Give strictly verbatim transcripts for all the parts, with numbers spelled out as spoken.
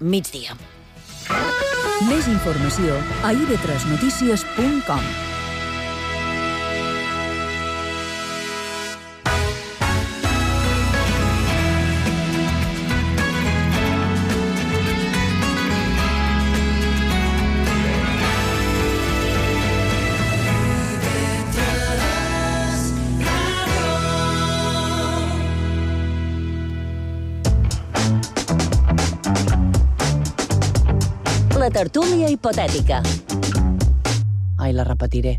Migdia. Més informació a i ve tres notícies punt com. La tertúlia hipotètica. Ai, la repetiré.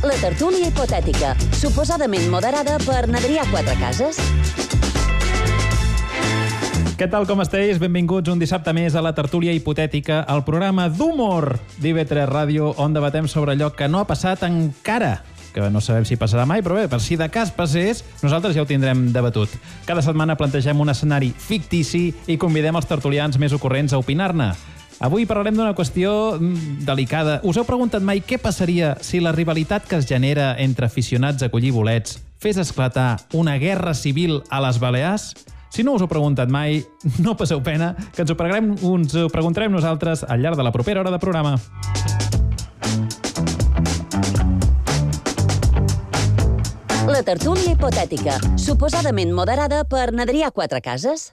La tertúlia hipotètica, suposadament moderada per n'Adrià Quatrecases. Què tal, com esteu? Benvinguts un dissabte més a la tertúlia hipotètica, el programa d'humor d'I ve tres Ràdio, on debatem sobre allò que no ha passat encara, que no sabem si passarà mai, però bé, per si de cas passés, nosaltres ja ho tindrem debatut. Cada setmana plantegem un escenari fictici i convidem els tertulians més ocorrents a opinar-ne. Avui parlarem d'una qüestió delicada. Us heu preguntat mai què passaria si la rivalitat que es genera entre aficionats a collir bolets fes esclatar una guerra civil a les Balears? Si no us ho heu preguntat mai, no passeu pena, que ens ho, ens ho preguntarem nosaltres al llarg de la propera hora de programa. La tertúlia hipotètica, suposadament moderada per n'Adrià Quatrecases.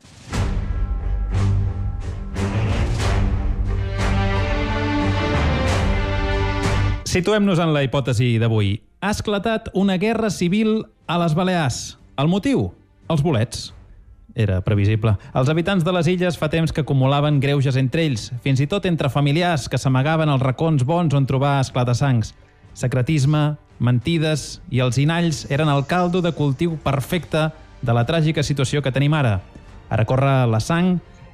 Situem-nos en la hipòtesi d'avui. Ha esclatat una guerra civil a les Balears. El motiu? Els bolets. Era previsible. Els habitants de les illes fa temps que acumulaven greuges entre ells, fins i tot entre familiars que s'amagaven als racons bons on trobar esclatassancs. Secretisme, mentides i els inalls eren el caldo de cultiu perfecte de la tràgica situació que tenim ara. Ara corre la sang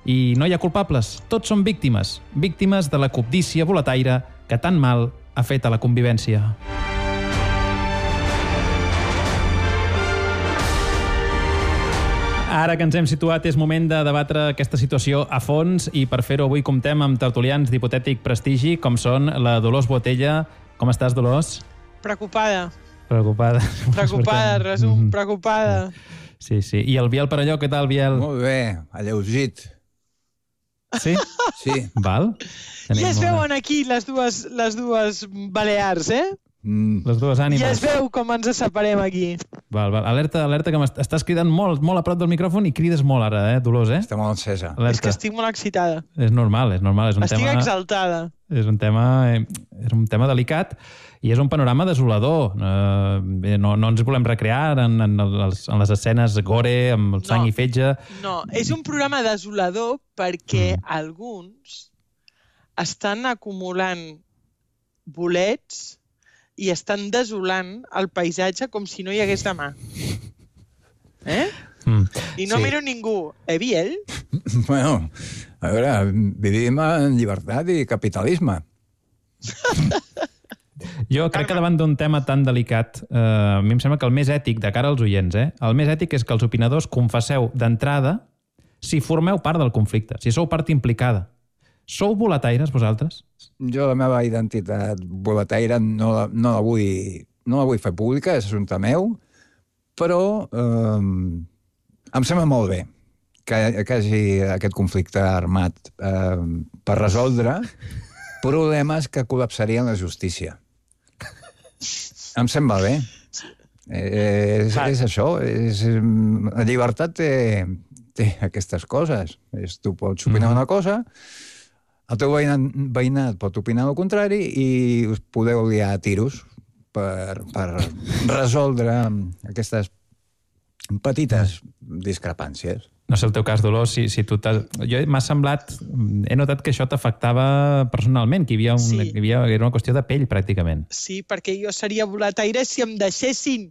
i no hi ha culpables. Tots són víctimes. Víctimes de la cobdícia boletaire que tan mal ha fet a la convivència. Ara que ens hem situat, és moment de debatre aquesta situació a fons i per fer-ho avui comptem amb tertulians d'hipotètic prestigi, com són la Dolors Botella. Com estàs, Dolors? Preocupada. Preocupada. Preocupada, resum, preocupada. Sí, sí. I el Biel Parelló, què tal, Biel? Molt bé, alleugit. Sí? Sí. Val. Ja es veuen aquí les dues, les dues Balears, eh? Mm. Les dues ànimes. Ja es veu com ens separem aquí. Val, val. Alerta, alerta, que estàs cridant molt, molt a prop del micròfon i crides molt ara, eh, Dolors, eh? Està molt encesa. Alerta. És que estic molt excitada. És normal, és normal. És un estic tema... exaltada. És un tema, és un tema delicat i és un panorama desolador. Uh, no, no ens volem recrear en, en, les, en les escenes gore, amb sang no, i fetge. No, és un programa desolador perquè mm. alguns estan acumulant bolets i estan desolant el paisatge com si no hi hagués demà. Eh? Mm. I no sí. miro ningú. Eh, Biel? Bueno, a veure, vivim en llibertat i capitalisme. Jo crec que davant d'un tema tan delicat, eh, a mi em sembla que el més ètic, de cara als oients, eh, el més ètic és que els opinadors confesseu d'entrada si formeu part del conflicte, si sou part implicada. Sou boletaires, vosaltres? Jo la meva identitat boletaire no la, no la, vull, no la vull fer pública, és assumpte meu, però eh, em sembla molt bé que, que hi hagi aquest conflicte armat eh, per resoldre problemes que col·lapsarien la justícia. Em sembla bé. Eh, és, és això. És, la llibertat té, té aquestes coses. És, tu pots opinar mm. una cosa, el teu veïnat, veïnat pot opinar el contrari i us podeu liar a tiros per, per resoldre aquestes petites discrepàncies. No sé el teu cas, Dolors, si, si tu t'has... Jo m'ha semblat... He notat que això t'afectava personalment, que hi havia, un, sí. que hi havia era una qüestió de pell, pràcticament. Sí, perquè jo seria boletaire si em deixessin.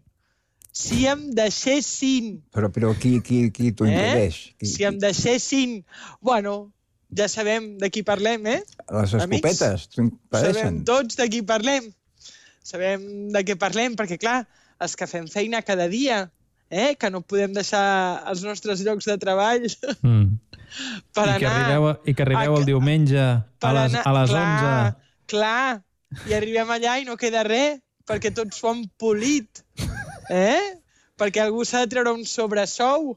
Si em deixessin. Però, però qui, qui, qui t'ho impedeix? Eh? Qui, si em deixessin... Bueno, ja sabem de qui parlem, eh? Les escopetes t'ho impedeixen. Sabem tots de qui parlem. Sabem de què parlem, perquè, clar, els que fem feina cada dia, eh? Que no podem deixar els nostres llocs de treball mm. per I que anar... arribeu, I que arribeu a, el diumenge a les, anar, a les clar, onze. Clar, i arribem allà i no queda res, perquè tots ho han polit. Eh? Perquè algú s'ha de treure un sobresou.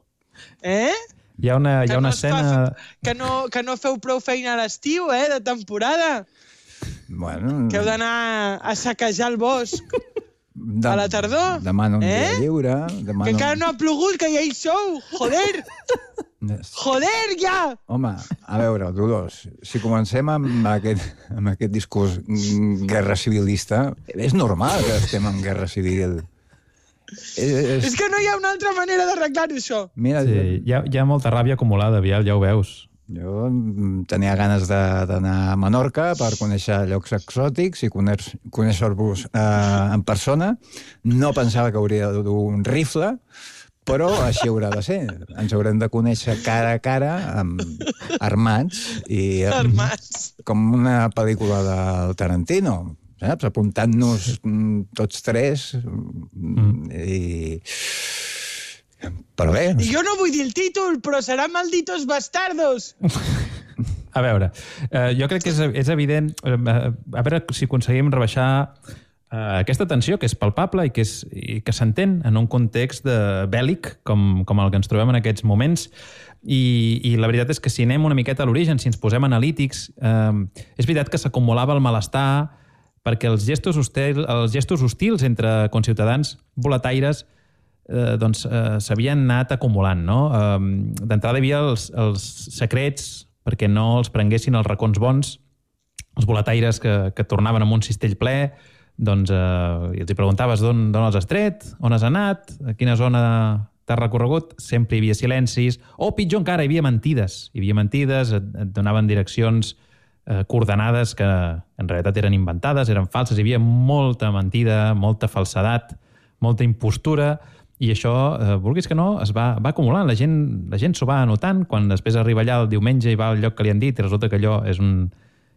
Eh? Hi ha una, hi ha una escena... Que no, que no feu prou feina a l'estiu, eh, de temporada. Bueno... Que heu d'anar a saquejar el bosc a la tardor. Demano un eh? dia lliure. Demano... Que encara no ha plogut, que ja hi sou. Joder! Joder, ja! Home, a veure, Dolors, si comencem amb aquest, amb aquest discurs guerra civilista, és normal que estem en guerra civil. És... és que no hi ha una altra manera d'arreglar-ho, això. Mira, sí, hi ha, hi ha molta ràbia acumulada, Biel, ja ho veus. Jo tenia ganes d'anar a Menorca per conèixer llocs exòtics i conèixer-vos eh, en persona. No pensava que hauria de dur un rifle, però així haurà de ser. Ens haurem de conèixer cara a cara, amb, armats, i armats. Com una pel·lícula del Tarantino, saps? Apuntant-nos tots tres mm. i... Però bé... Jo no vull dir el títol, però serà Malditos Bastardos! A veure, eh, jo crec que és, és evident... Eh, a veure si aconseguim rebaixar eh, aquesta tensió que és palpable i que, és, i que s'entén en un context de bèl·lic com, com el que ens trobem en aquests moments. I, I la veritat és que si anem una miqueta a l'origen, si ens posem analítics, eh, és veritat que s'acumulava el malestar perquè els gestos, hostil, els gestos hostils entre conciutadans boletaires eh, doncs, eh, s'havien anat acumulant. No? Eh, D'entrada hi havia els, els secrets perquè no els prenguessin els racons bons, els boletaires que, que tornaven amb un cistell ple, doncs eh, i els hi preguntaves d'on has estret, on has anat, a quina zona t'has recorregut, sempre hi havia silencis, o pitjor encara, hi havia mentides. Hi havia mentides, et, et donaven direccions eh, coordenades que en realitat eren inventades, eren falses, hi havia molta mentida, molta falsedat, molta impostura, i això, eh, vulguis que no, es va, va acumulant. La gent, la gent s'ho va anotant quan després arriba allà el diumenge i va al lloc que li han dit i resulta que allò és, un,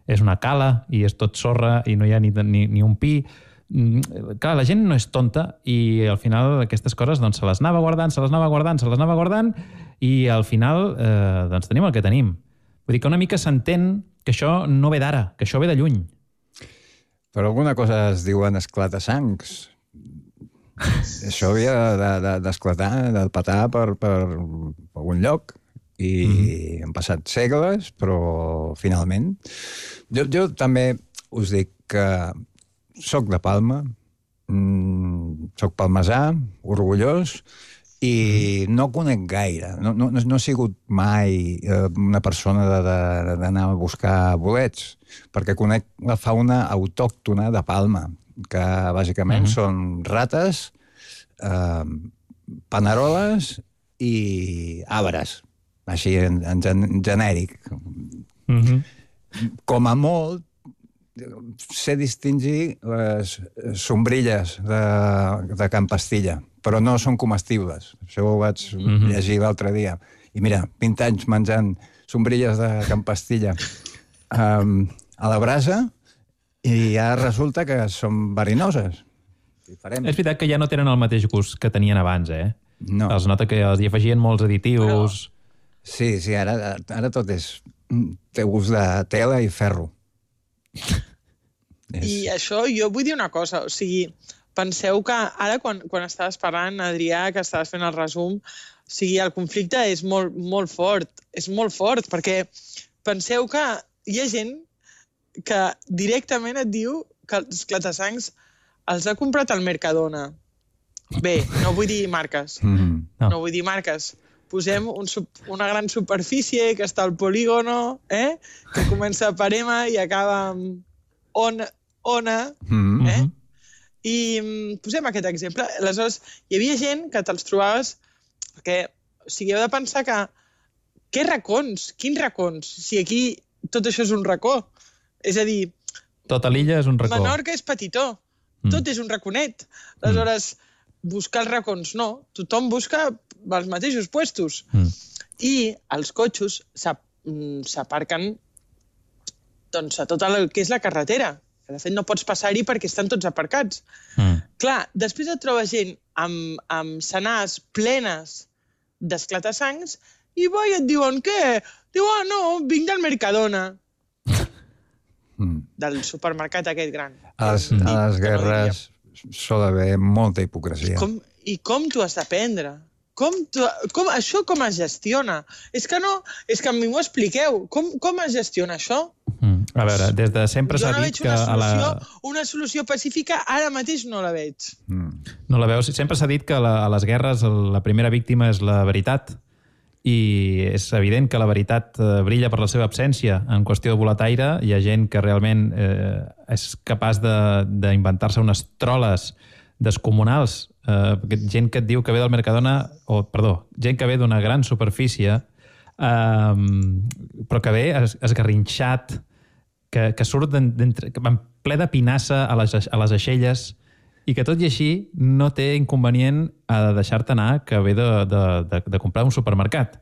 és una cala i és tot sorra i no hi ha ni, ni, ni un pi. Mm, clar, la gent no és tonta i al final aquestes coses doncs, se les anava guardant, se les anava guardant, se les anava guardant i al final eh, doncs, tenim el que tenim. Vull dir que una mica s'entén que això no ve d'ara, que això ve de lluny. Però alguna cosa es diuen esclata-sangs. Això havia d'esclatar, de, de, de petar per, per algun lloc i mm-hmm. han passat segles, però finalment... Jo, jo també us dic que soc de Palma, mmm, soc palmesà, orgullós, i no conec gaire. No, no, no he sigut mai eh, una persona d'anar a buscar bolets, perquè conec la fauna autòctona de Palma, que bàsicament uh-huh. són rates, eh, paneroles i arbres, així en, en, en genèric. Uh-huh. Com a molt, sé distingir les sombrilles de, de Can Pastilla, però no són comestibles. Això ho vaig uh-huh. llegir l'altre dia. I mira, vint anys menjant sombrilles de Can Pastilla um, a la brasa, i ja resulta que són verinoses. Farem. És veritat que ja no tenen el mateix gust que tenien abans, eh? No. Els nota que els hi afegien molts additius... Però... Sí, sí, ara, ara tot és... té gust de tela i ferro. és... I això, jo vull dir una cosa, o sigui, penseu que ara quan, quan estaves parlant, Adrià, que estaves fent el resum, o sigui, el conflicte és molt, molt fort, és molt fort, perquè penseu que hi ha gent que directament et diu que els esclata-sangs els ha comprat al Mercadona. Bé, no vull dir marques. Mm-hmm. No. no vull dir marques. Posem un, una gran superfície que està al polígono, eh? Que comença per M i acaba amb on, ona. Mm-hmm. Eh? I posem aquest exemple. Aleshores, hi havia gent que te'ls trobaves perquè, o sigui, heu de pensar que què racons? Quins racons? Si aquí tot això és un racó. És a dir... Tota l'illa és un racó. Menorca és petitó. Mm. Tot és un raconet. Aleshores, mm. buscar els racons no. Tothom busca els mateixos puestos. Mm. I els cotxos s'aparquen doncs, a tot el que és la carretera. De fet, no pots passar-hi perquè estan tots aparcats. Mm. Clar, després et trobes gent amb, amb senars plenes d'esclata-sangs i bo, i et diuen què? Diu, ah, no, vinc del Mercadona. Mm. Del supermercat aquest gran. A les, a les guerres sol haver molta hipocresia. I com, i com t'ho has d'aprendre? Com, com, això com es gestiona? És que no, és que a mi m'ho expliqueu. Com, com es gestiona això? Mm. A veure, des de sempre s'ha jo no dit veig que... una solució, a la... una solució pacífica, ara mateix no la veig. Mm. No la veus? Sempre s'ha dit que la, a les guerres la primera víctima és la veritat, i és evident que la veritat eh, brilla per la seva absència. En qüestió de boletaire, hi ha gent que realment eh, és capaç d'inventar-se unes troles descomunals, eh, gent que et diu que ve del Mercadona, o, perdó, gent que ve d'una gran superfície, eh, però que ve es, esgarrinxat, que, que surt en ple de pinassa a les, a les aixelles, i que tot i així no té inconvenient a deixar-te anar, que ve de, de, de, de comprar un supermercat.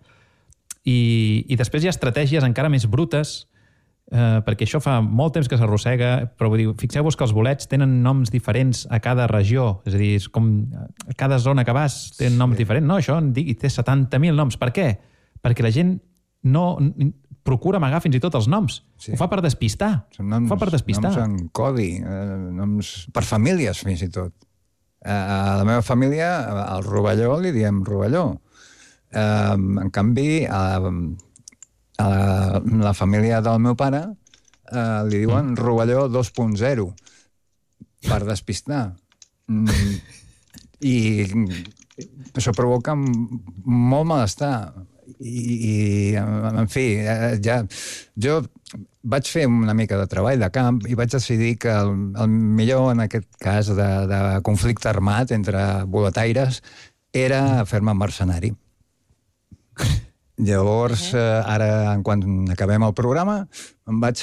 I, I després hi ha estratègies encara més brutes, eh, perquè això fa molt temps que s'arrossega, però vull dir, fixeu-vos que els bolets tenen noms diferents a cada regió, és a dir, és com a cada zona que vas té un nom sí. diferent. No, això en digui, té setanta mil noms. Per què? Perquè la gent no procura amagar fins i tot els noms. Sí. Ho fa per despistar. Són noms, Ho fa per despistar. noms en codi, eh, noms per famílies fins i tot. A la meva família, al rovelló, li diem rovelló. Eh, en canvi, a, a la, la família del meu pare eh, li diuen mm. rovelló dos punt zero per despistar. Mm, I això provoca molt malestar. I, i en fi, ja, jo vaig fer una mica de treball de camp i vaig decidir que el, el millor en aquest cas de, de conflicte armat entre boletaires era fer-me mercenari. Llavors, eh, ara, en quan acabem el programa, em vaig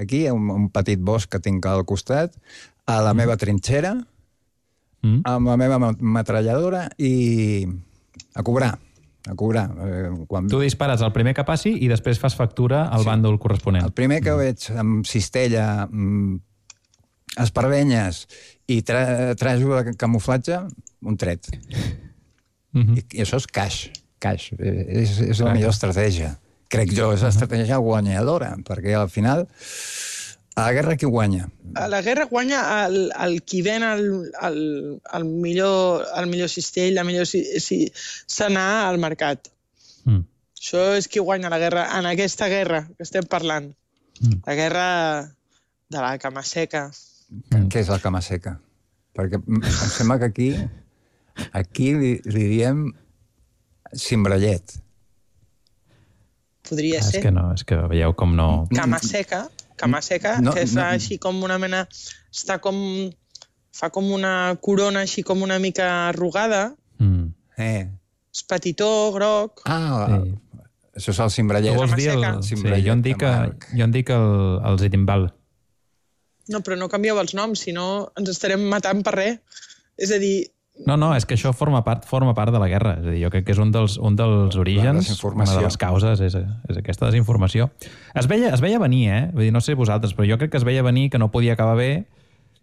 aquí, a un, un petit bosc que tinc al costat, a la meva trinxera, mm. amb la meva metralladora i a cobrar. a cobrar. Eh, quan... Tu dispares el primer que passi i després fas factura al sí. bàndol corresponent. El primer que veig amb cistella, amb espardenyes i tra trajo de camuflatge, un tret. Mm -hmm. I, I això és caix. caix. És, és la millor estratègia. Crec jo, és l'estratègia guanyadora, perquè al final a la guerra qui guanya? A la guerra guanya el, el qui ven el, el, el, millor, el millor cistell, la millor si, si, s'anar al mercat. Mm. Això és qui guanya la guerra, en aquesta guerra que estem parlant. Mm. La guerra de la cama seca. Mm. Què és la cama seca? Perquè em sembla que aquí, aquí li, li diem cimbrellet. Podria ah, ser. És que no, és que veieu com no... Cama seca. Cama seca, no, que fa no. així com una mena... Està com... Fa com una corona així com una mica arrugada. Mm. Eh. És petitó, groc. Ah, sí. Això és el cimbrellet. Tu vols dir el... Sí, jo en dic, jo en dic el, el zitimbal. No, però no canvieu els noms, si no ens estarem matant per res. És a dir... No, no, és que això forma part, forma part de la guerra. És a dir, jo crec que és un dels, un dels orígens, una de les causes, és, és aquesta desinformació. Es veia, es veia venir, eh? Vull dir, no sé vosaltres, però jo crec que es veia venir, que no podia acabar bé.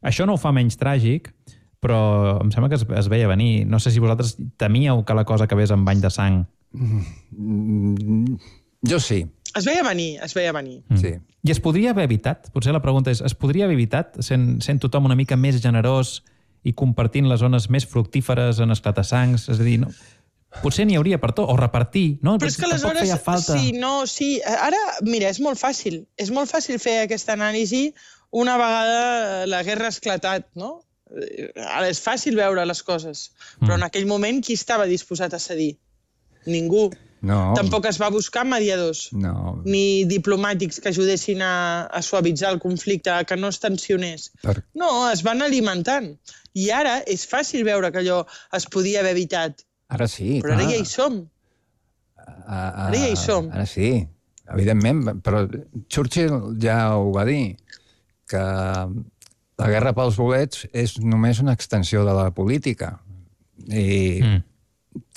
Això no ho fa menys tràgic, però em sembla que es, es veia venir. No sé si vosaltres temíeu que la cosa acabés amb bany de sang. Mm, jo sí. Es veia venir, es veia venir. Mm. Sí. I es podria haver evitat? Potser la pregunta és, es podria haver evitat sent, sent tothom una mica més generós i compartint les zones més fructíferes en esclatassancs? És a dir, no, potser n'hi hauria per tot, o repartir, no? Però és que aleshores, feia falta. Sí, no, sí. Ara, mira, és molt fàcil. És molt fàcil fer aquesta anàlisi una vegada la guerra ha esclatat, no? Ara és fàcil veure les coses, però mm. en aquell moment qui estava disposat a cedir? Ningú. No. Tampoc es va buscar mediadors, no. ni diplomàtics que ajudessin a, a suavitzar el conflicte, que no es tensionés. Per... No, es van alimentant. I ara és fàcil veure que allò es podia haver evitat. Ara sí, Però clar. ara ja hi som. A, a, ara ja hi som. Ara sí, evidentment. Però Churchill ja ho va dir, que la guerra pels bolets és només una extensió de la política. I mm.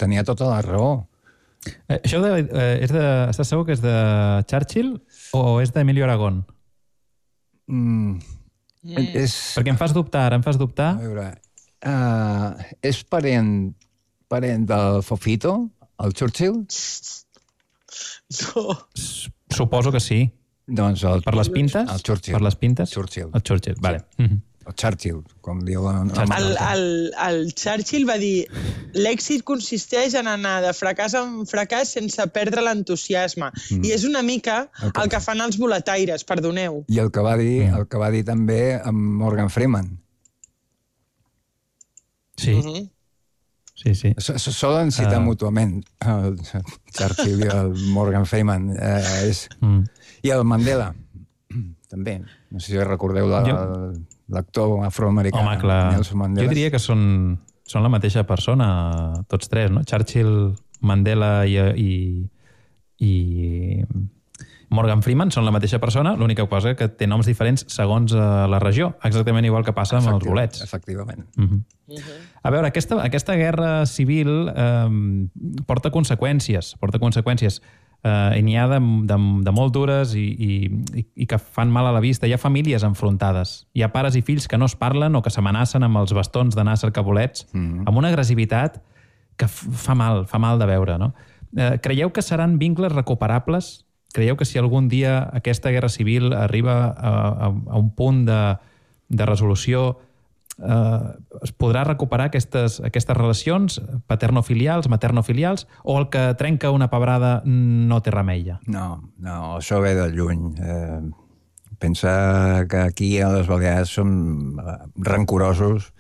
tenia tota la raó. Eh, això de, eh, és de, estàs segur que és de Churchill o és d'Emilio Aragón? Mm. Mm. És... Perquè em fas dubtar, ara em fas dubtar. A veure, uh, és parent, parent del Fofito, el Churchill? No. Suposo que sí. Doncs el, per les pintes? El Churchill. Per les pintes? Churchill. El Churchill, vale. Sí. Mm-hmm. O Churchill, com diu... El, el, el, el Churchill va dir l'èxit consisteix en anar de fracàs en fracàs sense perdre l'entusiasme. Mm. I és una mica el que... el que fan els boletaires, perdoneu. I el que va dir, el que va dir també amb Morgan Freeman. Sí. Mm -hmm. Sí, sí. Solen citar uh... mútuament el Churchill i el Morgan Freeman. Eh, és... mm. I el Mandela, també. No sé si recordeu la... Jo... l'actor afroamericà, Home, clar. Nelson Mandela. Jo diria que són, són la mateixa persona, tots tres, no? Churchill, Mandela i, i, i Morgan Freeman són la mateixa persona, l'única cosa que té noms diferents segons uh, la regió, exactament igual que passa amb els bolets. Efectivament. Uh-huh. Uh-huh. A veure, aquesta, aquesta guerra civil eh, porta conseqüències, porta conseqüències. Uh, i n'hi ha de, de, de molt dures i, i, i que fan mal a la vista. Hi ha famílies enfrontades. Hi ha pares i fills que no es parlen o que s'amenacen amb els bastons d'anar a cercar bolets, mm. amb una agressivitat que fa mal, fa mal de veure, no? Uh, creieu que seran vincles recuperables? Creieu que si algun dia aquesta guerra civil arriba a, a, a un punt de, de resolució Uh, es podrà recuperar aquestes, aquestes relacions paternofilials, maternofilials, o el que trenca una pebrada no té remei ja? No, no, això ve de lluny. Eh, pensa que aquí a les Balears som rancorosos.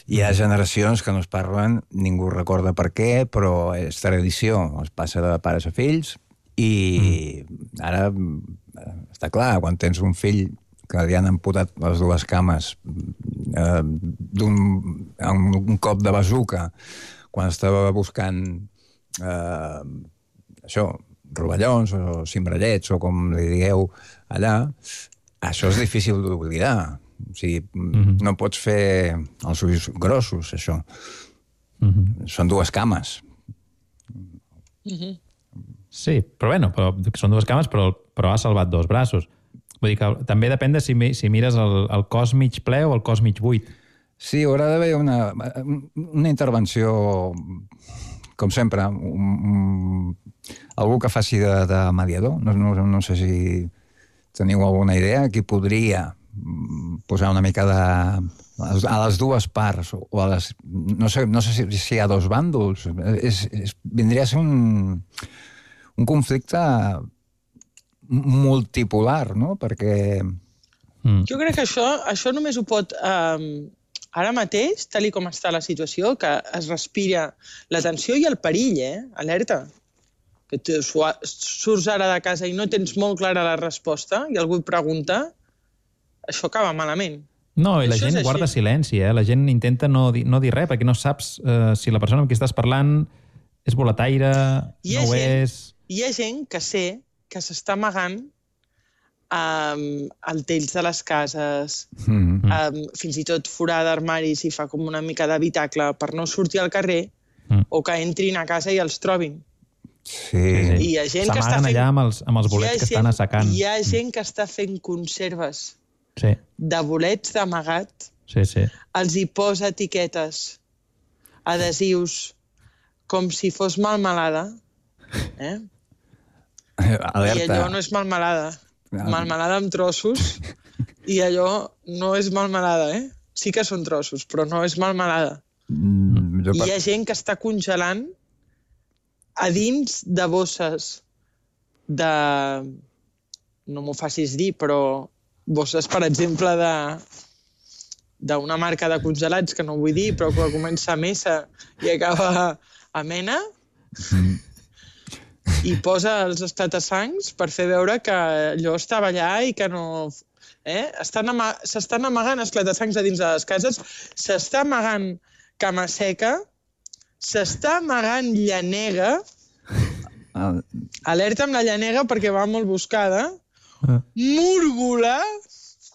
Hi ha generacions que no es parlen, ningú recorda per què, però és tradició, es passa de pares a fills, i mm. ara està clar, quan tens un fill que li han amputat les dues cames eh, d'un un cop de bazuca quan estava buscant eh, això, rovellons o cimbrellets o com li digueu allà, això és difícil d'oblidar. O sigui, mm-hmm. no pots fer els ulls grossos, això. Mm-hmm. Són dues cames. Mm-hmm. Sí, però bueno, però, són dues cames, però, però ha salvat dos braços. Vull dir que també depèn de si, si mires el, el cos mig ple o el cos mig buit. Sí, haurà d'haver una, una intervenció, com sempre, un, un, algú que faci de, de mediador. No, no, no sé si teniu alguna idea, qui podria posar una mica de... a les dues parts, o a les... No sé, no sé si, si hi ha dos bàndols. És, és, vindria a ser un, un conflicte multipolar, no? Perquè... Mm. Jo crec que això, això només ho pot... Um, ara mateix, tal com està la situació, que es respira la tensió i el perill, eh? Alerta. Que tu surts ara de casa i no tens molt clara la resposta i algú et pregunta, això acaba malament. No, i la això gent guarda silenci, eh? La gent intenta no dir, no dir res, perquè no saps uh, si la persona amb qui estàs parlant és boletaire, no ho és... Hi ha gent que sé que s'està amagant um, al tells de les cases, mm-hmm. um, fins i tot forar d'armaris i fa com una mica d'habitacle per no sortir al carrer, mm. o que entrin a casa i els trobin. Sí. I hi ha gent que està fent... allà amb els, amb els bolets que estan assecant. Hi ha gent que està fent conserves sí. de bolets d'amagat. Sí, sí. Els hi posa etiquetes, adhesius, com si fos melmelada. Eh? Alerta. I allò no és melmelada. Melmelada amb trossos, i allò no és melmelada, eh? Sí que són trossos, però no és melmelada. Mm, jo... Hi ha gent que està congelant a dins de bosses de... No m'ho facis dir, però bosses, per exemple, de d'una marca de congelats, que no vull dir, però que comença a Mesa i acaba a Mena, mm. i posa els esclatasangs per fer veure que allò estava allà i que no... Eh? S'estan ama... amagant esclatasangs a dins de les cases, s'està amagant cama seca, s'està amagant llanega, alerta amb la llanega perquè va molt buscada, múrgola...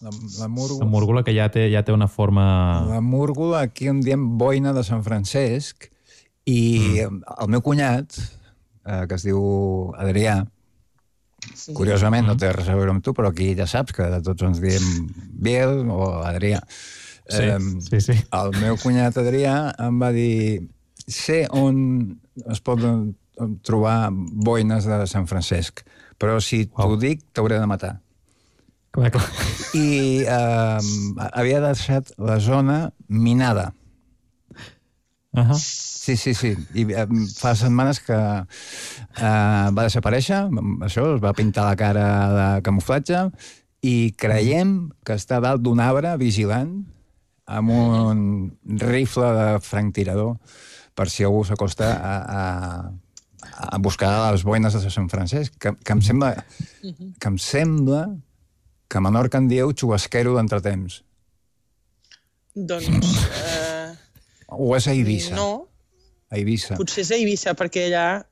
La, la, múrgola... la múrgola que ja té, ja té una forma... La múrgola, aquí en diem boina de Sant Francesc, i mm. el meu cunyat, eh, que es diu Adrià, sí. Curiosament mm. no té res a veure amb tu, però aquí ja saps que tots ens diem Biel o Adrià. Sí, eh, sí, sí. El meu cunyat Adrià em va dir sé on es poden trobar boines de Sant Francesc, però si t'ho wow. dic t'hauré de matar. Clar, clar. I eh, havia deixat la zona minada. Uh -huh. Sí, sí, sí. I eh, fa setmanes que eh, va desaparèixer, això, es va pintar la cara de camuflatge i creiem que està dalt d'un arbre vigilant amb un rifle de franctirador per si algú s'acosta a, a, a buscar les boines de Sant Francesc, que, que em sembla que em sembla que a Menorca en dieu xubasquero d'entretemps. Doncs... Eh, o és a Eivissa? No. A Eivissa. Potser és a Eivissa, perquè allà...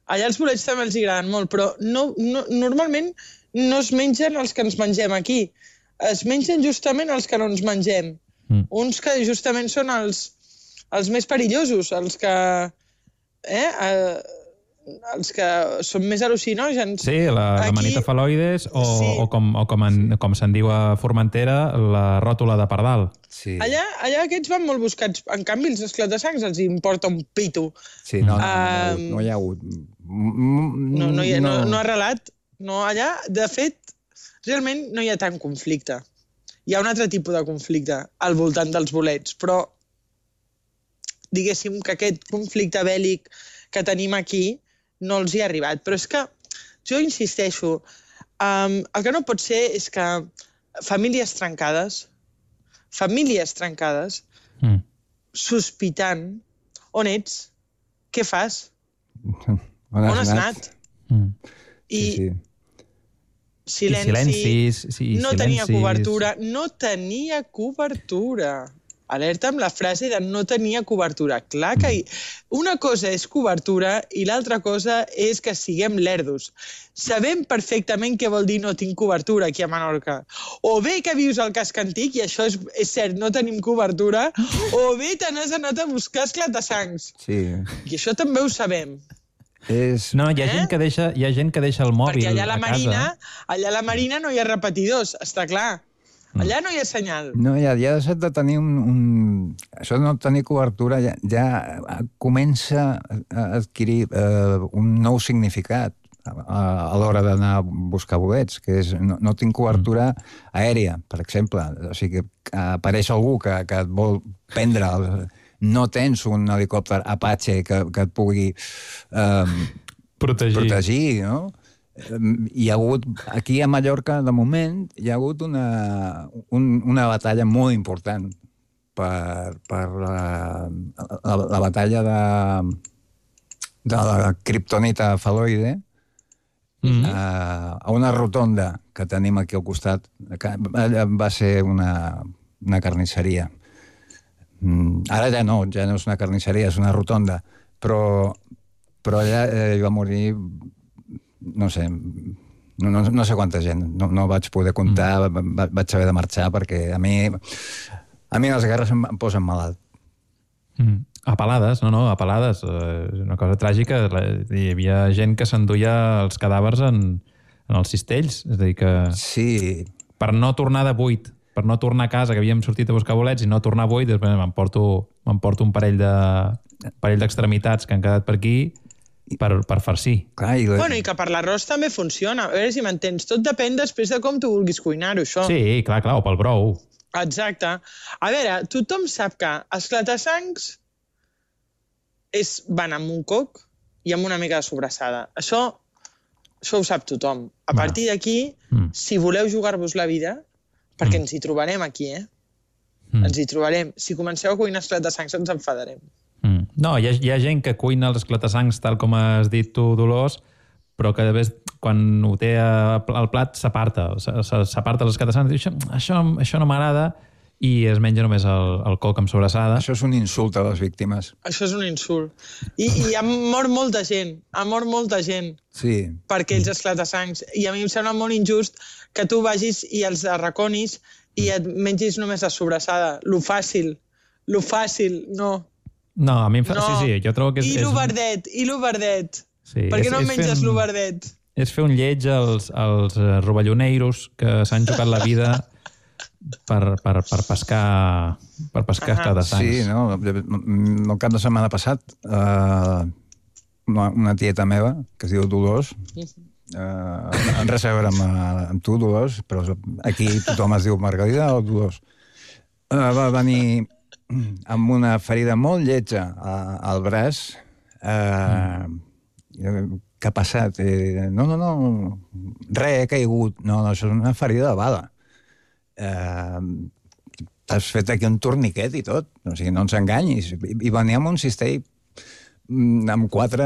Allà els bolets també els agraden molt, però no, no, normalment no es mengen els que ens mengem aquí. Es mengen justament els que no ens mengem. Mm. Uns que justament són els, els més perillosos, els que... Eh, eh, els que són més al·lucinògens. Sí, la, la manita faloides o, sí. o com, o com, en, com se'n diu a Formentera, la ròtula de pardal. Sí. Allà, allà aquests van molt buscats. En canvi, els esclatasangs els importa un pito. Sí, no, no, um, no, no hi ha hagut... No, no, hi ha, no, no ha relat. No, allà, de fet, realment no hi ha tant conflicte. Hi ha un altre tipus de conflicte al voltant dels bolets, però diguéssim que aquest conflicte bèl·lic que tenim aquí no els hi ha arribat. Però és que, jo insisteixo, um, el que no pot ser és que famílies trencades, famílies trencades, mm. sospitant, on ets? Què fas? On has, on has anat? anat? Mm. I, sí, sí. Silenci, I silencis, sí, no silencis. tenia cobertura, no tenia cobertura. Alerta amb la frase de no tenia cobertura. Clar que una cosa és cobertura i l'altra cosa és que siguem lerdos. Sabem perfectament què vol dir no tinc cobertura aquí a Menorca. O bé que vius al casc antic, i això és, és cert, no tenim cobertura, o bé te n'has anat a buscar esclatasangs. Sí. I això també ho sabem. És... No, hi ha, eh? gent que deixa, hi ha gent que deixa el mòbil Perquè allà a la a Marina, casa. allà a la Marina no hi ha repetidors, està clar. Allà no hi ha senyal. No, ja, ja ha deixat de tenir un, un... Això de no tenir cobertura ja, ja comença a adquirir eh, un nou significat a, a l'hora d'anar a buscar bolets, que és no, no tinc cobertura aèria, per exemple. O sigui, que apareix algú que, que et vol prendre... El, no tens un helicòpter Apache que, que et pugui eh, protegir. protegir, no? Hi ha hagut, aquí a Mallorca, de moment, hi ha hagut una, un, una batalla molt important per, per la, la, la batalla de, de la kriptonita faloide mm-hmm. a, a una rotonda que tenim aquí al costat. Que va ser una, una carnisseria. Ara ja no, ja no és una carnisseria, és una rotonda. Però, però allà eh, va morir... no sé, no, no, no sé quanta gent, no, no vaig poder comptar, mm. va, vaig haver de marxar perquè a mi, a mi les guerres em, em posen malalt. Mm. A Palades, no, no, a Palades, eh, una cosa tràgica, hi havia gent que s'enduia els cadàvers en, en els cistells, és a dir que... Sí. Per no tornar de buit, per no tornar a casa, que havíem sortit a buscar bolets i no tornar a buit, després m'emporto m'emporto un parell de parell d'extremitats que han quedat per aquí per, per farcir. Clar, i, la... bueno, i que per l'arròs també funciona. A veure si m'entens. Tot depèn després de com tu vulguis cuinar-ho, això. Sí, clar, clar, o pel brou. Exacte. A veure, tothom sap que esclatasangs és, van amb un coc i amb una mica de sobrassada. Això, això ho sap tothom. A Va. partir d'aquí, mm. si voleu jugar-vos la vida, perquè mm. ens hi trobarem aquí, eh? Mm. Ens hi trobarem. Si comenceu a cuinar esclatasangs, ens enfadarem. Mm. No, hi ha, hi ha gent que cuina els esclatasangs tal com has dit tu, Dolors, però que després, quan ho té al plat, s'aparta. S'aparta els esclatasangs i diu, això, això, això no m'agrada, i es menja només el, el coc amb sobrassada. Això és un insult a les víctimes. Això és un insult. I, i ha mort molta gent, ha mort molta gent sí. per aquells esclatasangs. I a mi em sembla molt injust que tu vagis i els arraconis i et mengis només la sobrassada. Lo fàcil, lo fàcil, no. No, a mi em fa... No. Sí, sí, jo trobo que és... I lo verdet, i lo verdet. Sí, per què no és, menges un... lo verdet? És fer un lleig als, als rovelloneiros que s'han jugat la vida per, per, per pescar per pescar esclatasangs. Sí, no? El cap de setmana passat uh, una, una tieta meva, que es diu Dolors, Uh, en res a veure amb, amb tu, Dolors, però aquí tothom es diu Margalida o Dolors. Uh, va venir amb una ferida molt lletja a, al braç. Uh, mm. Què ha passat? Eh, no, no, no, res, he caigut. No, no, això és una ferida de bala. Uh, T'has fet aquí un torniquet i tot. O sigui, no ens enganyis. I, i venia amb un cistell amb quatre...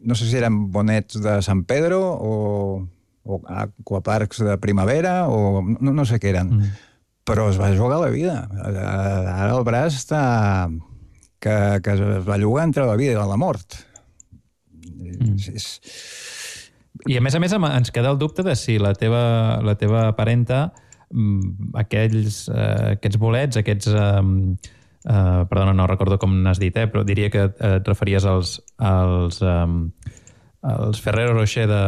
No sé si eren bonets de Sant Pedro o, o aquaparcs de primavera o no, no sé què eren. Mm. Però es va jugar la vida. Ara el braç està... que, que es va jugar entre la vida i la mort. Mm. És... I a més a més ens queda el dubte de si la teva, la teva parenta, aquells, eh, aquests bolets, aquests... Eh, Uh, perdona, no recordo com n'has dit, eh, però diria que et referies als, als, um, als Ferrero Rocher de,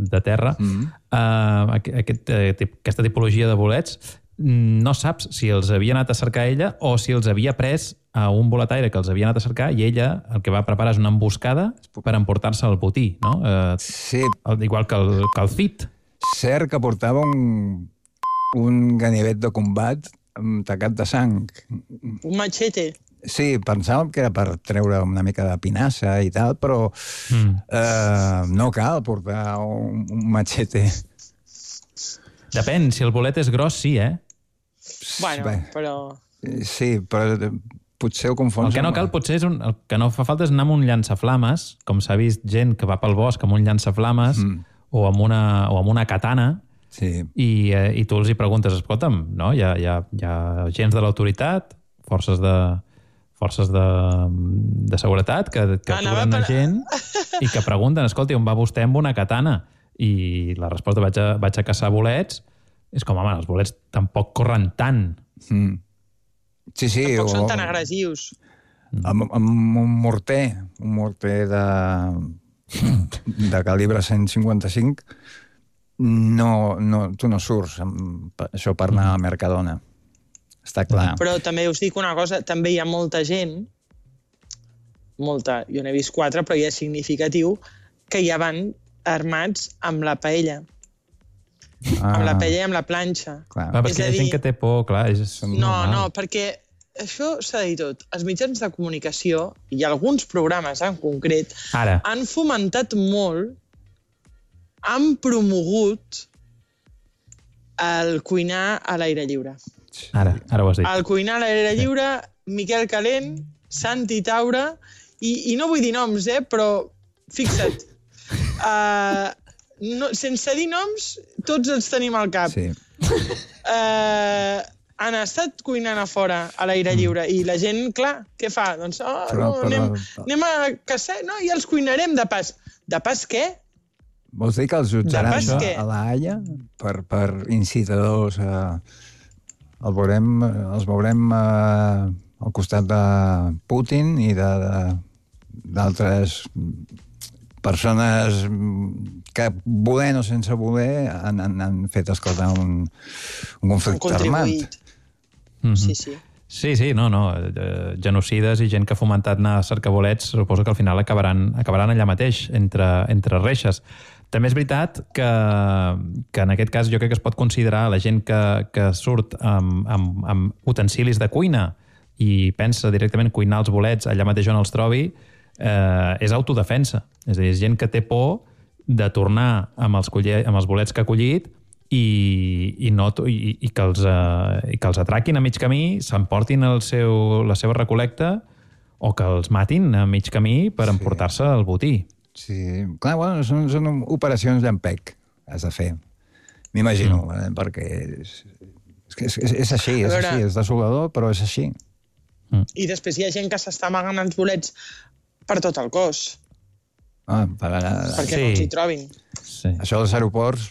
de terra. Mm-hmm. uh, aquest, uh, aquesta tipologia de bolets, no saps si els havia anat a cercar ella o si els havia pres a un boletaire que els havia anat a cercar i ella el que va preparar és una emboscada per emportar-se el botí, no? Uh, sí. El, igual que el, que el Cid. Cert que portava un, un ganivet de combat tacat de sang. Un machete. Sí, pensàvem que era per treure una mica de pinassa i tal, però mm. eh, no cal portar un, un machete. Depèn, si el bolet és gros, sí, eh? Bueno, Bé, però... Sí, però potser ho confons... El que no cal, potser, és un, el que no fa falta és anar amb un llançaflames, com s'ha vist gent que va pel bosc amb un llançaflames mm. o, amb una, o amb una katana. Sí. I, eh, i tu els hi preguntes, escolta'm, no? hi, ha, hi, ha, hi ha agents de l'autoritat, forces de forces de, de seguretat que, que aturen per... gent i que pregunten, escolta, on va vostè amb una katana? I la resposta, vaig a, vaig a caçar bolets, és com, home, els bolets tampoc corren tant. Mm. Sí, sí. Tampoc o... són tan agressius. Amb, amb un morter, un morter de, de calibre cent cinquanta-cinc, No, no, tu no surts amb això per anar a Mercadona. Està clar. Però també us dic una cosa, també hi ha molta gent, molta, jo n'he vist quatre, però ja és significatiu, que ja van armats amb la paella. Ah. Amb la paella i amb la planxa. Clar. Va, perquè hi ha gent que té por, clar. És no, normal. No, perquè això s'ha de dir tot. Els mitjans de comunicació, i alguns programes en concret, Ara. han fomentat molt, han promogut el cuinar a l'aire lliure. Ara, ara ho has dit. El cuinar a l'aire lliure, Miquel Calent, Santi Taura, i, i no vull dir noms, eh, però fixa't, uh, no, sense dir noms, tots els tenim al cap. Sí. Uh, han estat cuinant a fora, a l'aire lliure, i la gent, clar, què fa? Doncs, oh, però, no, però... anem, anem a caçar, no, i els cuinarem de pas. De pas què? Vols dir que els jutjaran a, a la Haia per, per incitadors? Eh, el veurem, els veurem eh, al costat de Putin i d'altres persones que, volent o sense voler, han, han, han fet esclatar un, un conflicte armat. Mm-hmm. Sí, sí. Sí, sí, no, no. Genocides i gent que ha fomentat anar a cercar bolets, suposo que al final acabaran, acabaran allà mateix, entre, entre reixes. També és veritat que, que en aquest cas jo crec que es pot considerar la gent que, que surt amb, amb, amb utensilis de cuina i pensa directament cuinar els bolets allà mateix on els trobi, eh, és autodefensa. És a dir, és gent que té por de tornar amb els, coller, amb els bolets que ha collit i, i, no, i, i, que els, eh, i que els atraquin a mig camí, s'emportin el seu, la seva recol·lecta o que els matin a mig camí per sí. emportar-se el botí. Sí, clar, bueno, són, són operacions llampec, has de fer. M'imagino, mm. eh, perquè és, és, és, és així, és veure... així, és desolador, però és així. Mm. I després hi ha gent que s'està amagant els bolets per tot el cos. Ah, per... Perquè sí. no els hi trobin. Sí. Això dels aeroports,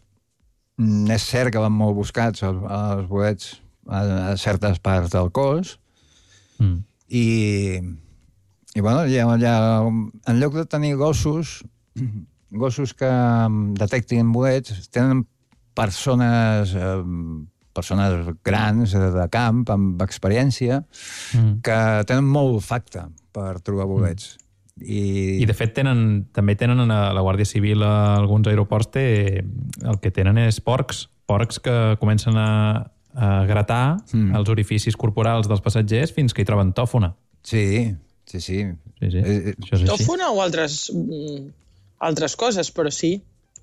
és cert que van molt buscats els, els bolets a, a certes parts del cos, mm. i... I, bueno, ja, ja, en lloc de tenir gossos, gossos que detectin bolets, tenen persones, eh, persones grans de camp, amb experiència, mm. que tenen molt olfacte per trobar bolets. I, I de fet, tenen, també tenen a la Guàrdia Civil a alguns aeroports, té, el que tenen és porcs, porcs que comencen a, a gratar mm. els orificis corporals dels passatgers fins que hi troben tòfona. Sí, sí, sí. sí, sí. Eh, Això és així. Tòfona o altres, mm, altres coses, però sí.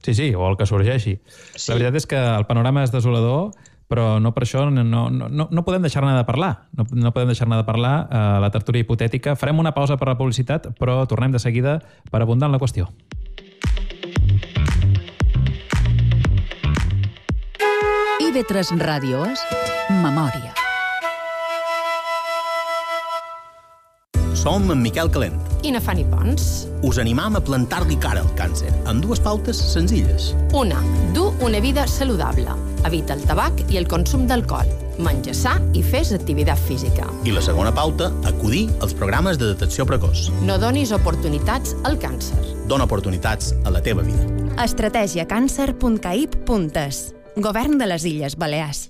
Sí, sí, o el que sorgeixi. Sí. La veritat és que el panorama és desolador, però no per això no, no, no, no podem deixar-ne de parlar. No, no podem deixar-ne de parlar a la tertúlia hipotètica. Farem una pausa per la publicitat, però tornem de seguida per abundar en la qüestió. I V tres Ràdio és Memòria. Som en Miquel Calent. I na Fanny Pons. Us animam a plantar-li cara al càncer, amb dues pautes senzilles. Una, du una vida saludable. Evita el tabac i el consum d'alcohol. Menja sa i fes activitat física. I la segona pauta, acudir als programes de detecció precoç. No donis oportunitats al càncer. Dona oportunitats a la teva vida. estratègia càncer punt caip punt es. Govern de les Illes Balears.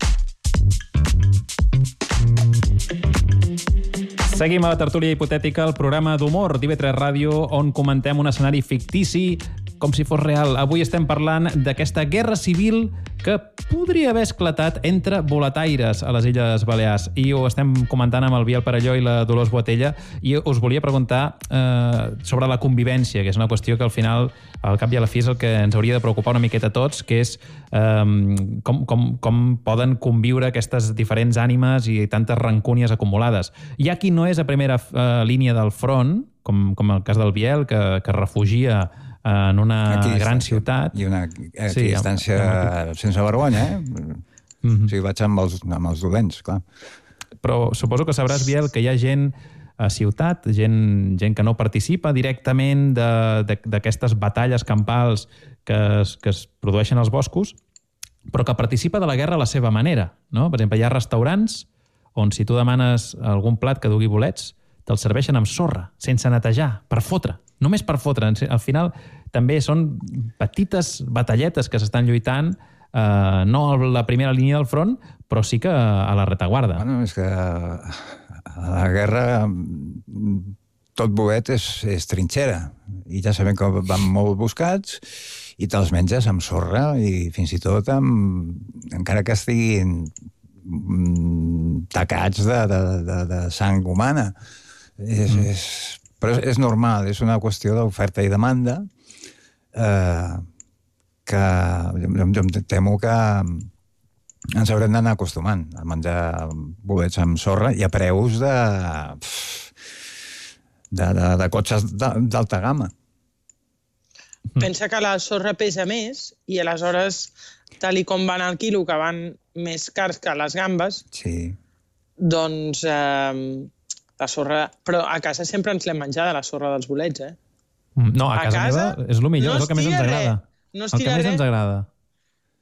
Seguim a la tertúlia hipotètica, el programa d'humor d'I V tres Ràdio, on comentem un escenari fictici com si fos real. Avui estem parlant d'aquesta guerra civil que podria haver esclatat entre boletaires a les Illes Balears. I ho estem comentant amb el Biel Perelló i la Dolors Boatella, i us volia preguntar eh, sobre la convivència, que és una qüestió que al final, al cap i a la fi, és el que ens hauria de preocupar una miqueta a tots, que és eh, com, com, com poden conviure aquestes diferents ànimes i tantes rancúnies acumulades. Hi ha qui no és a primera eh, línia del front, com, com el cas del Biel, que, que refugia en una gran ciutat. I una equidistància sí, amb... sense vergonya, eh? Mm-hmm. O sigui, vaig amb els, amb els dolents, clar. Però suposo que sabràs, Biel, que hi ha gent a ciutat, gent, gent que no participa directament d'aquestes batalles campals que es, que es produeixen als boscos, però que participa de la guerra a la seva manera, no? Per exemple, hi ha restaurants on si tu demanes algun plat que dugui bolets, te'l serveixen amb sorra, sense netejar, per fotre. Només per fotre. Al final també són petites batalletes que s'estan lluitant, eh, no a la primera línia del front, però sí que a la retaguarda. Bueno, és que a la guerra tot bolet és, és trinxera. I ja sabem que van molt buscats i te'ls menges amb sorra i fins i tot amb, encara que estiguin tacats de, de, de, de sang humana. És, mm. és, però és normal, és una qüestió d'oferta i demanda eh, que jo, jo em temo que ens haurem d'anar acostumant a menjar bolets amb sorra i a preus de, de, de, de cotxes d'alta gamma. Pensa que la sorra pesa més i aleshores, tal i com van al quilo, que van més cars que les gambes, sí. doncs... Eh, la sorra... Però a casa sempre ens l'hem menjada, la sorra dels bolets, eh? No, a, a casa, casa meva és el millor, no és el que més ens agrada. No es el que més res. ens agrada.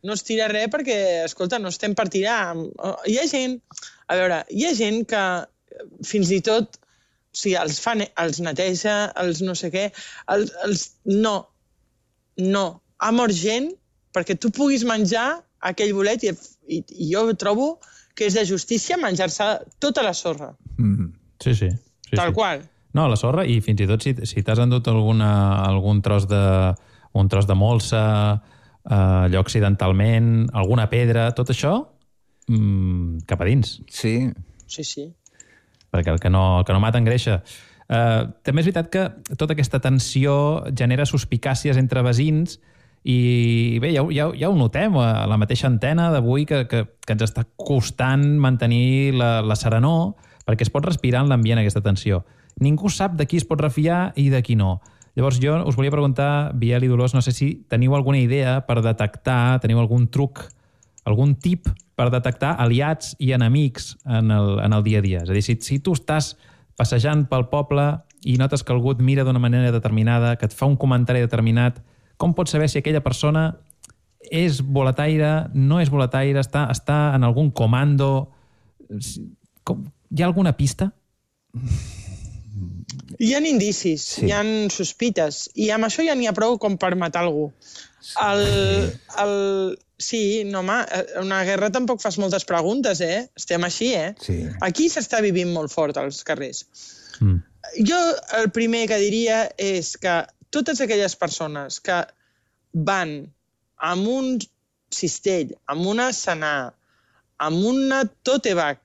No es tira res perquè, escolta, no estem per tirar. Hi ha gent... A veure, hi ha gent que fins i tot... O sigui, els, fa, els neteja, els no sé què... Els, els, no. No. Ha mort gent perquè tu puguis menjar aquell bolet i, i, i jo trobo que és de justícia menjar-se tota la sorra. Mm-hmm. Sí, sí. sí Tal sí. qual. No, la sorra, i fins i tot si, si t'has endut alguna, algun tros de, un tros de molsa, eh, allò accidentalment, alguna pedra, tot això, mmm, cap a dins. Sí. Sí, sí. Perquè el que no, el que no mata engreixa. Eh, també és veritat que tota aquesta tensió genera suspicàcies entre veïns i bé, ja, ja, ja ho notem a la mateixa antena d'avui que, que, que ens està costant mantenir la, la serenor, perquè es pot respirar en l'ambient aquesta tensió. Ningú sap de qui es pot refiar i de qui no. Llavors jo us volia preguntar, Biel i Dolors, no sé si teniu alguna idea per detectar, teniu algun truc, algun tip per detectar aliats i enemics en el, en el dia a dia. És a dir, si, si tu estàs passejant pel poble i notes que algú et mira d'una manera determinada, que et fa un comentari determinat, com pots saber si aquella persona és boletaire, no és boletaire, està, està en algun comando? Com, hi ha alguna pista? Hi ha indicis, sí. Hi ha sospites, i amb això ja n'hi ha prou com per matar algú. El, el... Sí, no, home, una guerra tampoc fas moltes preguntes, eh? Estem així, eh? Sí. Aquí s'està vivint molt fort als carrers. Mm. jo el primer que diria és que totes aquelles persones que van amb un cistell, amb una senar, amb una tote bag,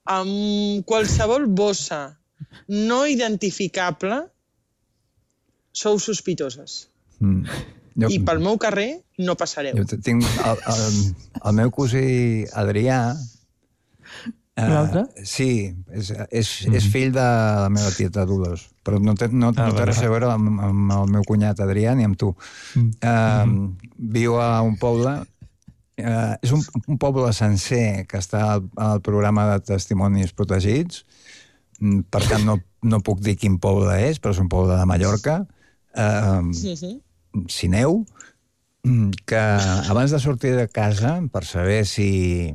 amb qualsevol bossa no identificable, sou sospitoses. Mm. Jo, I pel meu carrer no passareu. Jo tinc el, el, el meu cosí Adrià. L'altre? Uh, sí, és, és, mm. és fill de la meva tieta Dolors, però no té, no, ah, no té res a veure amb, amb el meu cunyat Adrià ni amb tu. Mm. Uh, mm. Viu a un poble, uh, és un, un poble sencer que està al, al programa de testimonis protegits, per tant no, no puc dir quin poble és, però és un poble de Mallorca, uh, sí, sí. Sineu, que abans de sortir de casa, per saber si...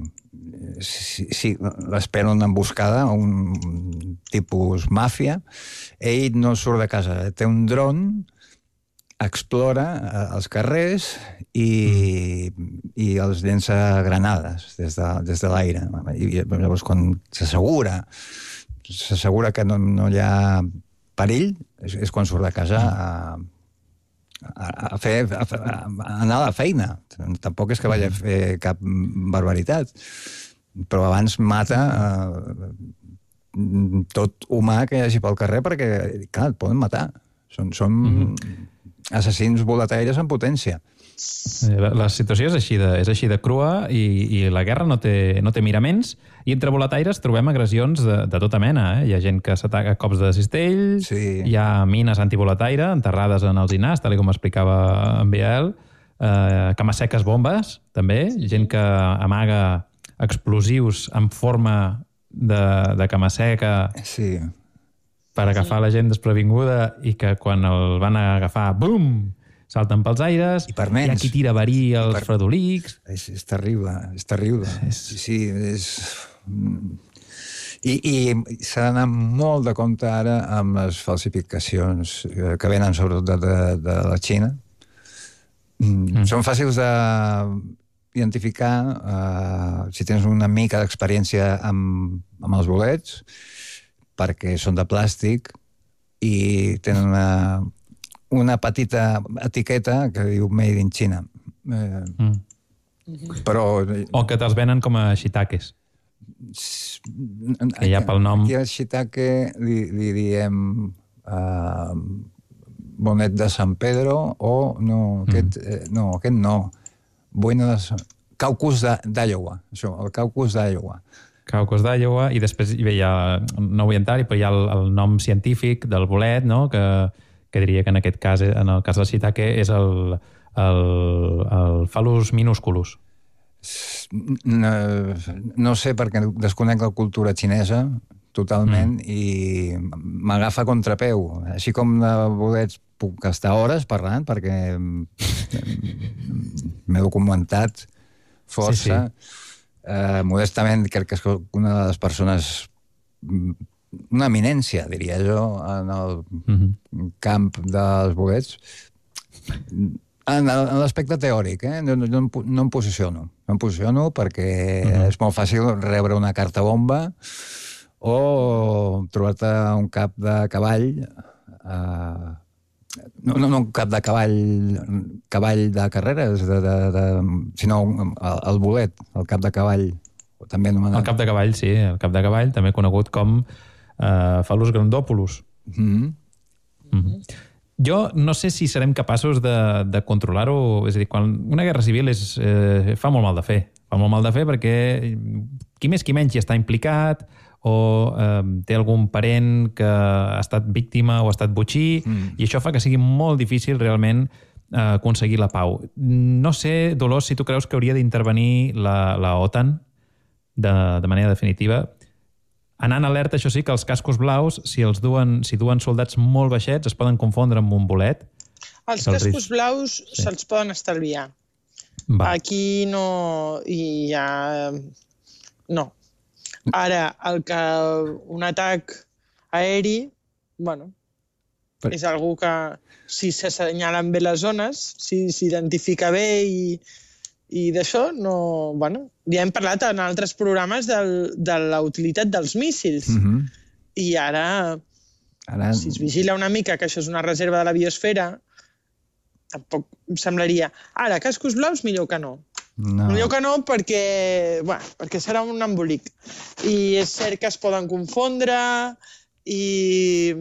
si, si l'espera una emboscada, un tipus màfia, ell no surt de casa, té un dron, explora els carrers i, i els llença granades des de, des de l'aire. I llavors, quan s'assegura s'assegura que no, no hi ha perill, és, és quan surt de casa a, a, a, fer, a, a anar a la feina. Tampoc és que vagi a fer cap barbaritat, però abans mata eh, tot humà que hi hagi pel carrer perquè, clar, et poden matar. Són, són mm-hmm. assassins boletaires en potència. La, la situació és així de, és així de crua i, i la guerra no té, no té miraments, i entre boletaires trobem agressions de, de tota mena. Eh? Hi ha gent que s'ataca a cops de cistell, sí. Hi ha mines antiboletaire enterrades en els dinars, tal com explicava en Biel, eh, camasseques bombes, també, gent que amaga explosius en forma de, de camasseca sí. per agafar sí. la gent desprevinguda i que quan el van agafar, bum! Salten pels aires, I per nens. Hi ha qui tira verí als per... fredolics... És, és terrible, és terrible. És... Sí, és... I, i s'ha d'anar molt de compte ara amb les falsificacions que venen sobretot de, de, de la Xina. Mm. Són fàcils d'identificar uh, si tens una mica d'experiència amb, amb els bolets, perquè són de plàstic i tenen una... una petita etiqueta que diu Made in China. Eh, mm. Però... O que te'ls venen com a shiitakes. Que hi ha pel nom... Aquí al shiitake li, li diem uh, bonet de San Pedro o... No, aquest mm. eh, no. Aquest no. Bueno de San... Caucus d'Iowa. Això, el Caucus d'Iowa. Caucus d'Iowa, i després hi ha, no vull entrar, però hi ha el, el nom científic del bolet, no?, que... que diria que en aquest cas, en el cas del shiitake, és el, el, el Phallus minusculus. No, no sé, perquè desconec la cultura xinesa totalment mm. i m'agafa a contrapeu. Així com de bolets puc estar hores parlant, perquè m'he documentat força. Sí, sí. Eh, modestament, crec que és una de les persones... una eminència, diria jo, en el mm-hmm. camp dels bolets. En, en l'aspecte teòric, eh? no, no, no em posiciono. No em posiciono perquè mm-hmm. és molt fàcil rebre una carta bomba o trobar-te un cap de cavall, eh, no, no, no un cap de cavall, cavall de carreres, de, de, de, sinó el, el bolet, el cap de cavall. També anomenat. El cap de cavall, sí, el cap de cavall, també conegut com Uh, Phallus grandopulus. Mm-hmm. Mm-hmm. Jo no sé si serem capaços de, de controlar-ho. És a dir, quan una guerra civil és, eh, fa molt mal de fer. Fa molt mal de fer perquè qui més qui menys hi està implicat o eh, té algun parent que ha estat víctima o ha estat botxí, mm. i això fa que sigui molt difícil realment eh, aconseguir la pau. No sé, Dolors, si tu creus que hauria d'intervenir la, la OTAN de, de manera definitiva. Anant alerta, això sí, que els cascos blaus, si els duen, si duen soldats molt baixets, es poden confondre amb un bolet. Els cascos risc. blaus sí. se'ls poden estalviar. Va. Aquí no hi ha... No. Ara, el que un atac aeri, bueno, per... és algú que si s'assenyalen bé les zones, si s'identifica bé i... I d'això, no... Bueno, ja hem parlat en altres programes del, de la utilitat dels míssils. Mm-hmm. I ara Ara... Si es vigila una mica que això és una reserva de la biosfera, tampoc em semblaria... Ara, cascos blaus, millor que no. No. Millor que no perquè, bueno, perquè serà un embolic. I és cert que es poden confondre i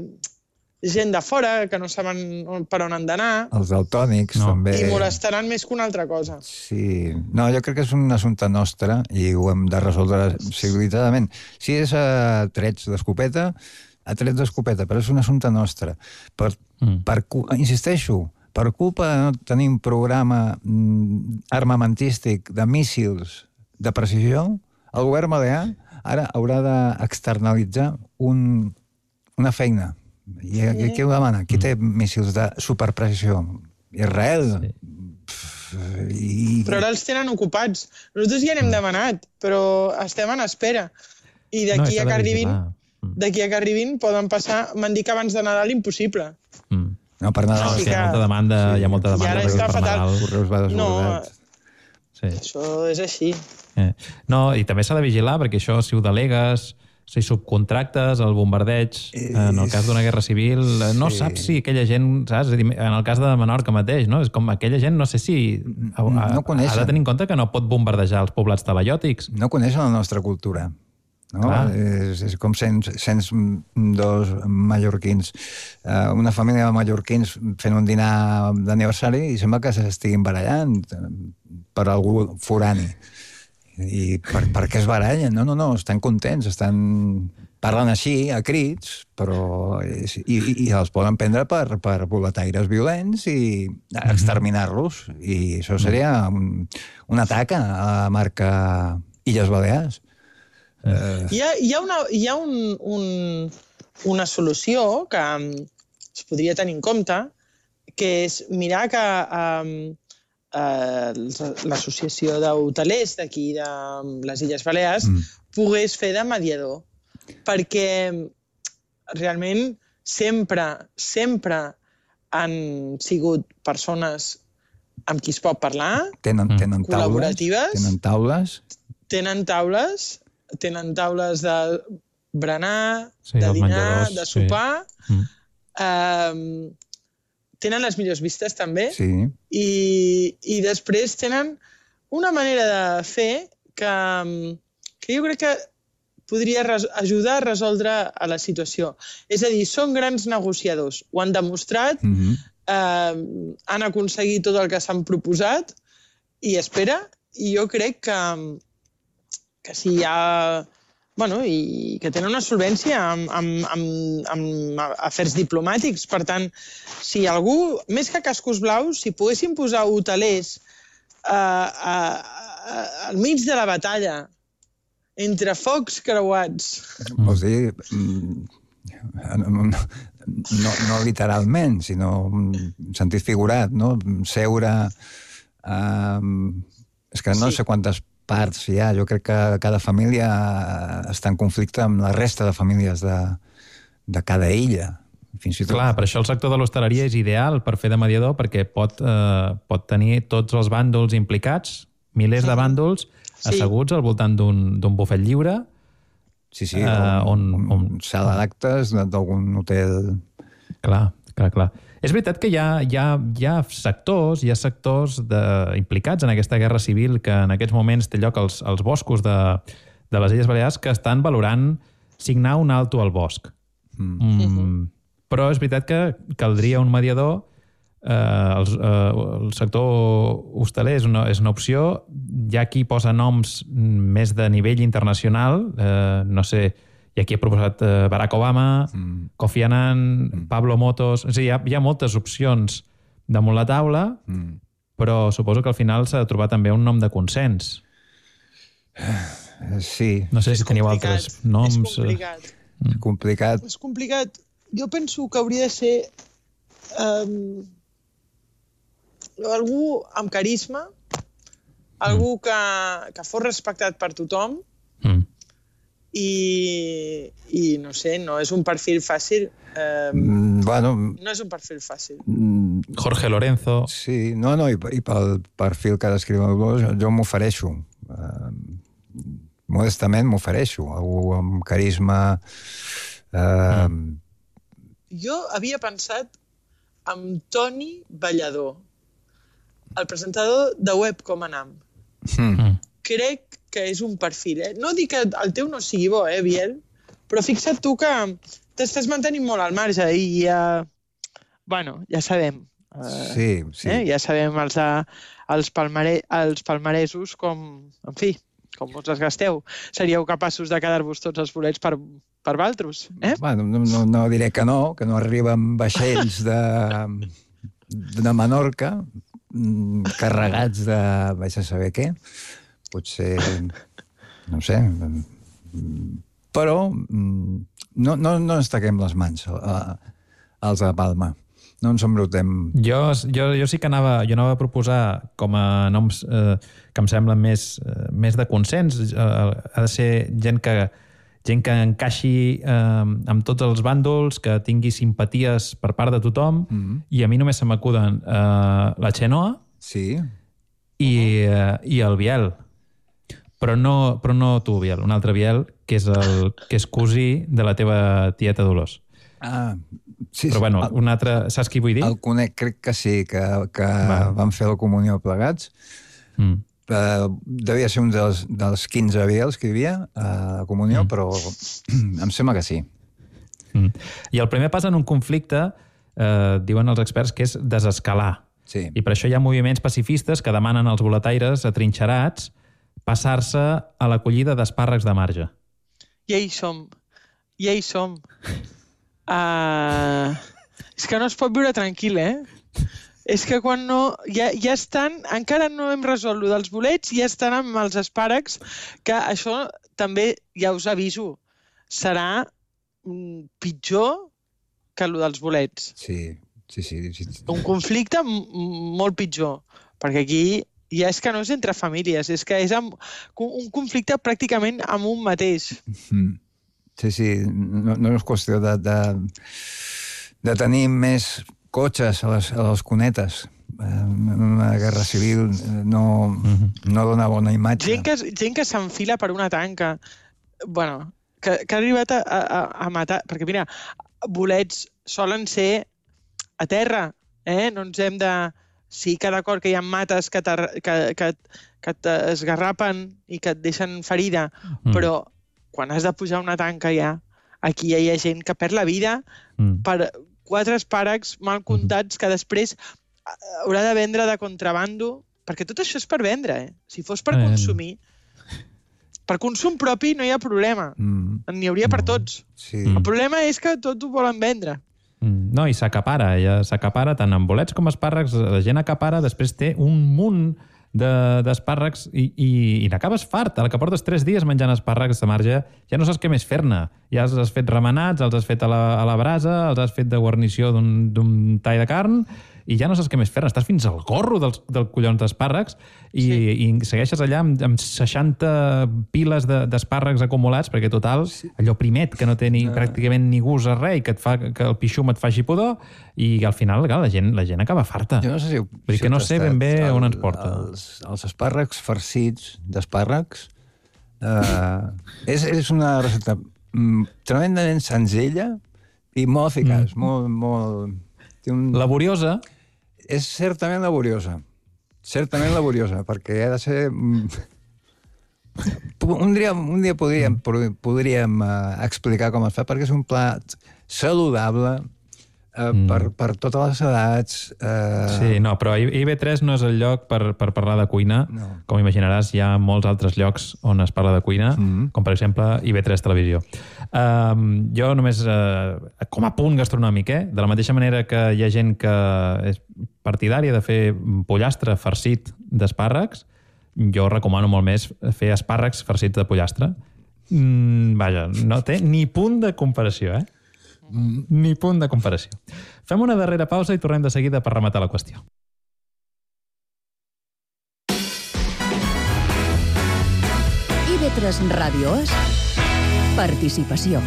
gent de fora que no saben per on han d'anar. Els daltònics, no. també. I molestaran més que una altra cosa. Sí. No, jo crec que és un assumpte nostre i ho hem de resoldre civilitzadament. Si és a trets d'escopeta, a trets d'escopeta, però és un assumpte nostre. Per, mm. per, insisteixo, per culpa de no tenir un programa armamentístic de míssils de precisió, el govern balear ara haurà d'externalitzar un, una feina. I sí. Qui ho demana? Qui té míssils de superprecisió? Israel? Sí. I... Però ara els tenen ocupats. Nosaltres ja n'hem demanat, però estem en espera. I d'aquí no, a que arribin, d'aquí a que arribin poden passar... M'han dit que abans de Nadal impossible. Mm. No, per Nadal. No, sí, hi ha molta demanda, sí. hi ha molta demanda. I ara està fatal. Correus va desbordat. No, sí. Això és així. Eh. No, i també s'ha de vigilar, perquè això, si ho delegues, si subcontractes el bombardeig, en el cas d'una guerra civil, no sí. saps si aquella gent, saps? En el cas de Menorca mateix, no? És com aquella gent, no sé si ha, no ha de tenir en compte que no pot bombardejar els poblats talaiòtics. No coneixen la nostra cultura. No? És, és com cent, cent dos mallorquins, uh, una família de mallorquins fent un dinar d'aniversari i sembla que s'estiguin barallant per algú forani. I per, per què es barallen? No, no, no, estan contents, estan... parlen així, a crits, però... i, i, i els poden prendre per, per boletaires violents i exterminar-los. I això seria un, un atac a la marca Illes Balears. Uh... Hi ha, hi ha, una, hi ha un, un, una solució que um, es podria tenir en compte, que és mirar que um, uh, l'associació d'hotelers d'aquí, de les Illes Balears, mm. pogués fer de mediador. Perquè realment sempre, sempre han sigut persones amb qui es pot parlar, tenen, tenen col·laboratives, tenen taules, tenen taules, tenen taules de berenar, sí, de dinar, de sopar, sí. mm. um, tenen les millors vistes també, sí. i, i després tenen una manera de fer que, que jo crec que podria res, ajudar a resoldre a la situació. És a dir, són grans negociadors, ho han demostrat, mm-hmm. eh, han aconseguit tot el que s'han proposat, i espera, i jo crec que que si hi ha... Bueno, i que tenen una solvència amb, amb, amb, amb afers diplomàtics. Per tant, si algú, més que cascos blaus, si poguessin posar hotelers uh, uh, uh, al mig de la batalla, entre focs creuats... Vols dir... No, no literalment, sinó en sentit figurat, no? Seure... Uh, és que no sí. sé quantes parts hi ha. Jo crec que cada família està en conflicte amb la resta de famílies de, de cada illa. Fins i tot... Clar, per això el sector de l'hostaleria és ideal per fer de mediador, perquè pot, eh, pot tenir tots els bàndols implicats, milers de bàndols, sí. asseguts al voltant d'un bufet lliure. Sí, sí, eh, on, on, on, on sala d'actes d'algun hotel... Clar, clar, clar. És veritat que hi ha, hi ha, hi ha sectors, hi ha sectors de, implicats en aquesta guerra civil que en aquests moments té lloc als, als boscos de, de les Illes Balears que estan valorant signar un alto al bosc. Mm. Mm, però és veritat que caldria un mediador. Eh, el, eh, el sector hostaler és una, és una opció. Hi ha qui posa noms més de nivell internacional. Eh, no sé... I aquí ha proposat uh, Barack Obama, mm. Kofi Annan, mm. Pablo Motos... És a dir, hi ha, hi ha moltes opcions damunt la taula, mm. però suposo que al final s'ha de trobar també un nom de consens. Sí. No sé si teniu altres noms. És complicat. Mm. complicat. És complicat. Jo penso que hauria de ser um, algú amb carisma, algú mm. que, que fos respectat per tothom, mm. I, i no sé, no és un perfil fàcil. Eh, mm, bueno, no és un perfil fàcil. Jorge Lorenzo. Sí, no, no, i, i pel perfil que descriu el Blos, jo, jo m'ofereixo. Eh, modestament m'ofereixo. Algú amb carisma, eh, mm. jo havia pensat en Toni Ballador, el presentador de Web com Anam. Mm. Crec que és un perfil, eh? No dic que el teu no sigui bo, eh, Biel? Però fixa't tu que t'estàs mantenint molt al marge i ja... Bueno, ja sabem. Sí, sí. Eh? Ja sabem els, els, palmare, els palmaresos com... En fi, com us els gasteu. Seríeu capaços de quedar-vos tots els bolets per, per valtros, eh? Bueno, no, no, no diré que no, que no arriben vaixells de, de Menorca carregats de... vaig a saber què. Potser... no sé... Però no, no, no ens taquem les mans a, als de Palma. No ens embrutem. Jo, jo, jo sí que anava, jo anava a proposar com a noms eh, que em semblen més, eh, més de consens. Eh, ha de ser gent que, gent que encaixi eh, amb tots els bàndols, que tingui simpaties per part de tothom, mm-hmm. i a mi només se m'acuden eh, la Xenoa sí. i, eh, i el Biel. Però no, però no tu, Biel, un altre Biel, que és, el, que és cosí de la teva tieta Dolors. Ah, sí. Però bueno, el, un altre... Saps qui vull dir? El conec, crec que sí, que, que van fer la comunió plegats. Mm. Uh, devia ser un dels, dels quinze Biels que hi havia a la comunió, mm. però em sembla que sí. Mm. I el primer pas en un conflicte, eh, diuen els experts, que és desescalar. Sí. I per això hi ha moviments pacifistes que demanen als boletaires atrinxerats passar-se a l'acollida d'espàrrecs de marge. Ja hi som. Ja hi som. Uh, és que no es pot viure tranquil, eh? És que quan no... Ja, ja estan... Encara no hem resolt lo dels bolets, ja estan amb els espàrrecs, que això també, ja us aviso, serà mm, pitjor que lo dels bolets. Sí, sí, sí. sí. Un conflicte molt pitjor, perquè aquí ja és que no és entre famílies, és que és amb, un conflicte pràcticament amb un mateix. Mm. Sí, sí, no, no és qüestió de, de, de tenir més cotxes a les, a les cunetes. Una guerra civil no, mm-hmm. no dona bona imatge. Gent que, gent que s'enfila per una tanca, bueno, que, que ha arribat a, a, a matar, perquè mira, bolets solen ser a terra, eh? No ens hem de... Sí que d'acord que hi ha mates que, que, que, que t'esgarrapen i que et deixen ferida, mm. però quan has de pujar una tanca ja, aquí ja hi ha gent que perd la vida mm. per quatre espàrrecs mal comptats que després haurà de vendre de contrabando, perquè tot això és per vendre, eh? Si fos per consumir, per consum propi no hi ha problema, mm. n'hi hauria per tots. Sí. El problema és que tot ho volen vendre. No, i s'acapara, ja s'acapara tant amb bolets com espàrrecs, la gent acapara, després té un munt d'espàrrecs de, i, i, i n'acabes fart. A la que portes tres dies menjant espàrrecs de marge, ja no saps què més fer-ne. Ja els has fet remenats, els has fet a la, a la brasa, els has fet de guarnició d'un tall de carn, i ja no saps què més fer-ne. Estàs fins al gorro dels, del collons d'espàrrecs i, sí. i segueixes allà amb, amb seixanta piles d'espàrrecs acumulats, perquè total, sí. allò primet, que no té ni, no. pràcticament ni gust a res, i que, et fa, que el pixum et faci pudor, i al final clar, la, gent, la gent acaba farta. Jo no sé si... Vull dir que no sé ben bé el, on ens porta. Els, els espàrrecs farcits d'espàrrecs uh, és, és una recepta mm, tremendament senzilla i molt eficaç, mm. molt... molt... Un... Laboriosa? És certament laboriosa. Certament laboriosa, perquè ha de ser... Un dia, un dia podríem, podríem uh, explicar com es fa, perquè és un plat saludable uh, mm. per, per totes les edats. Uh... Sí, no, però I B tres no és el lloc per, per parlar de cuina. No. Com imaginaràs, hi ha molts altres llocs on es parla de cuina, mm. com per exemple I B tres Televisió. Um, jo només, uh, com a punt gastronòmic, eh? De la mateixa manera que hi ha gent que és partidària de fer pollastre farcit d'espàrrecs, jo recomano molt més fer espàrrecs farcits de pollastre. Mm, vaja, no té ni punt de comparació, eh? Mm. Ni punt de comparació. Fem una darrera pausa i tornem de seguida per rematar la qüestió. I B tres Ràdio és participació.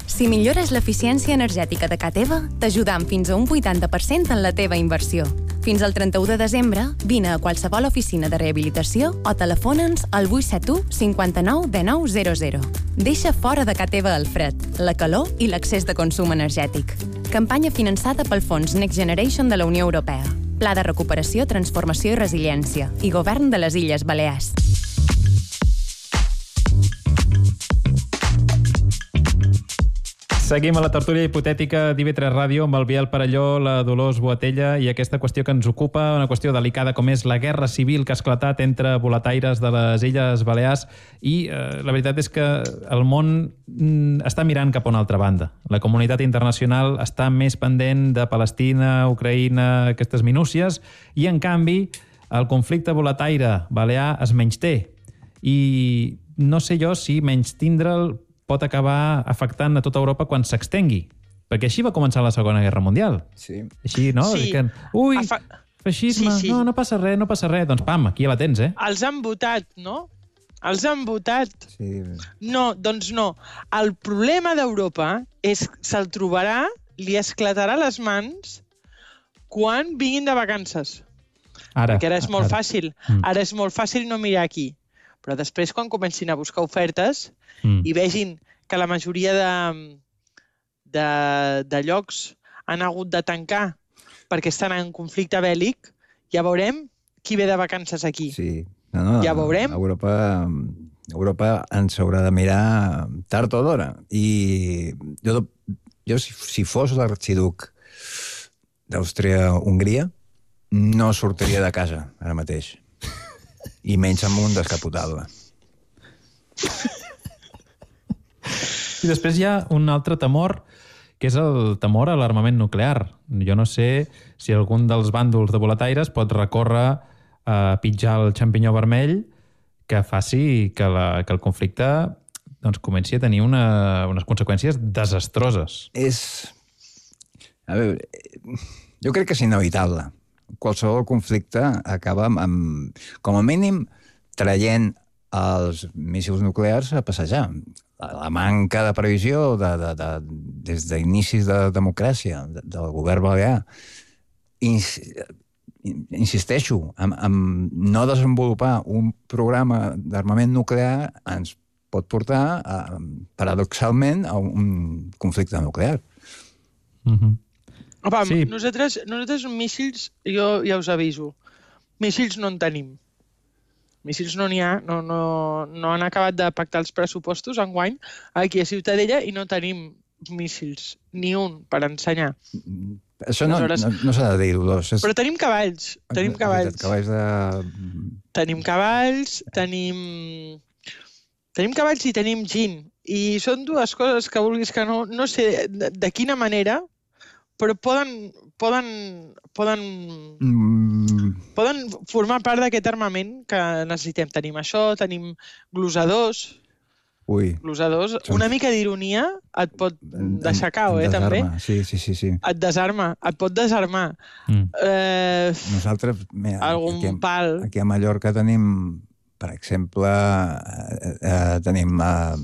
Si millores l'eficiència energètica de ca teva, t'ajudam fins a un vuitanta per cent en la teva inversió. Fins al trenta-u de desembre, vine a qualsevol oficina de rehabilitació o telefona'ns al vuit set u cinquanta-nou dinou zero zero. Deixa fora de ca teva el fred, la calor i l'excés de consum energètic. Campanya finançada pel Fons Next Generation de la Unió Europea. Pla de recuperació, transformació i resiliència. I Govern de les Illes Balears. Seguim a la tertúlia hipotètica d'I V tres Ràdio amb el Biel Parelló, la Dolors Boatella i aquesta qüestió que ens ocupa, una qüestió delicada com és la guerra civil que ha esclatat entre boletaires de les Illes Balears i eh, la veritat és que el món mm, està mirant cap a una altra banda. La comunitat internacional està més pendent de Palestina, Ucraïna, aquestes minúcies i en canvi el conflicte boletaire balear es menysté i no sé jo si menystindre'l pot acabar afectant a tota Europa quan s'extengui. Perquè així va començar la Segona Guerra Mundial. Sí. Així, no? Sí. Que, ui, Afa... feixisme, sí, sí. no, no passa res, no passa res. Doncs pam, aquí ja la tens, eh? Els han votat, no? Els han votat. Sí. No, doncs no. El problema d'Europa és que se'l trobarà, li esclatarà les mans quan vinguin de vacances. Ara. Perquè ara és molt ara. fàcil. Mm. Ara és molt fàcil no mirar aquí. Però després, quan comencin a buscar ofertes mm. i vegin que la majoria de, de, de llocs han hagut de tancar perquè estan en conflicte bèl·lic, ja veurem qui ve de vacances aquí. Sí. No, no, ja veurem. Europa, Europa ens haurà de mirar tard o d'hora. I jo, jo si, si fos l'arxiduc d'Àustria-Hongria, no sortiria de casa ara mateix. I menys amb un descapotable. I després hi ha un altre temor, que és el temor a l'armament nuclear. Jo no sé si algun dels bàndols de boletaires pot recórrer a pitjar el xampinyó vermell que faci que, la, que el conflicte doncs, comenci a tenir una, unes conseqüències desastroses. És... A veure, jo crec que és inevitable. Qualsevol conflicte acaba amb, amb, com a mínim, traient els míssils nuclears a passejar. La, la manca de previsió de, de, de, des d'inicis de democràcia de, del govern balear, ins, insisteixo, amb, amb no desenvolupar un programa d'armament nuclear ens pot portar, a, paradoxalment, a un conflicte nuclear. Mhm. Opa, sí. nosaltres, nosaltres míssils, jo ja us aviso, míssils no en tenim. Míssils no n'hi ha, no, no, no han acabat de pactar els pressupostos enguany aquí a Ciutadella i no tenim míssils, ni un per ensenyar. Això no, Aleshores... no, no s'ha de dir, Dolors. És... Però tenim cavalls, tenim cavalls. Cavalls de... Tenim cavalls, tenim... Tenim cavalls i tenim gin. I són dues coses que vulguis que no... No sé de, de quina manera, però poden, poden, poden, mm. poden formar part d'aquest armament que necessitem. Tenim això, tenim glosadors. Ui. Glosadors. Una mica d'ironia et pot deixar cau, eh, també. Sí, sí, sí, sí. Et desarma, et pot desarmar. Mm. Eh, Nosaltres, mira, algun aquí, pal. Aquí a Mallorca tenim, per exemple, eh, eh, tenim eh,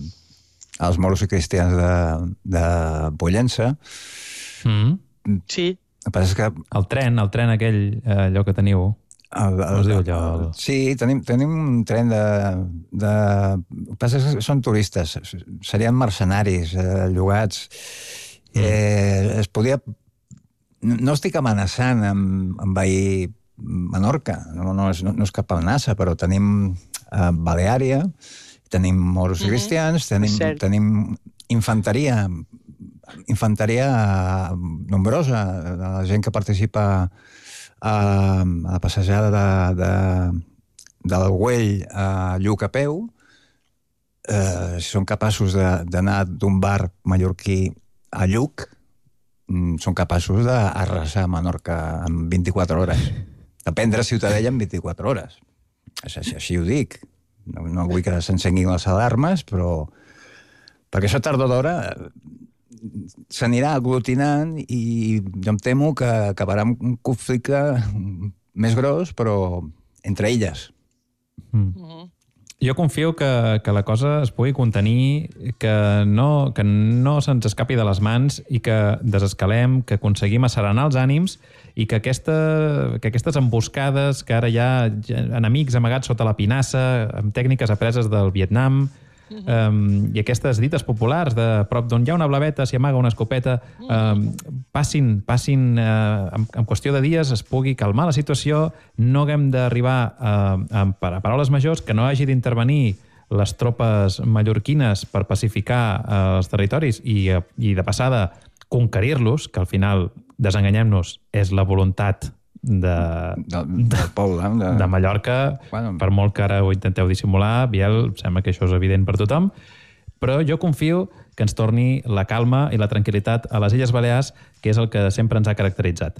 els moros i cristians de, de Pollença. Mm. El Sí. que passa és que... El tren, el tren aquell, eh, allò que teniu. El, el, es diu allò? El... Sí, tenim, tenim un tren de... de... El que passa és que són turistes, serien mercenaris, eh, llogats. Mm. Eh, es podia... No estic amenaçant amb, amb veir Menorca, no, no, és, no, no és cap amenaça, però tenim eh, Baleària, tenim moros mm-hmm. cristians, tenim, tenim infanteria, infanteria nombrosa, la gent que participa a, a la passejada de, de, del Güell a Lluc a peu, eh, si són capaços d'anar d'un bar mallorquí a Lluc, són capaços d'arrasar Menorca en vint-i-quatre hores. De prendre Ciutadella en vint-i-quatre hores. Així, així ho dic. No, no vull que s'encenguin les alarmes, però... Perquè això tard o d'hora s'anirà aglutinant i jo em temo que acabarà amb un conflicte més gros, però entre illes. Mm. Jo confio que, que la cosa es pugui contenir, que no, que no se'ns escapi de les mans i que desescalem, que aconseguim asserenar els ànims i que, aquesta, que aquestes emboscades, que ara hi ha enemics amagats sota la pinassa, amb tècniques apreses del Vietnam, uh-huh. um, i aquestes dites populars de prop d'on hi ha una blaveta, s'hi amaga una escopeta, um, passin, passin uh, en, en qüestió de dies es pugui calmar la situació, no haguem d'arribar uh, a, a paraules majors, que no hagi d'intervenir les tropes mallorquines per pacificar uh, els territoris i, uh, i de passada conquerir-los, que al final, desenganyem-nos, és la voluntat de, de, del poble, de, de Mallorca. Bueno, per molt que ara ho intenteu dissimular, Biel, sembla que això és evident per tothom, però jo confio que ens torni la calma i la tranquil·litat a les Illes Balears, que és el que sempre ens ha caracteritzat.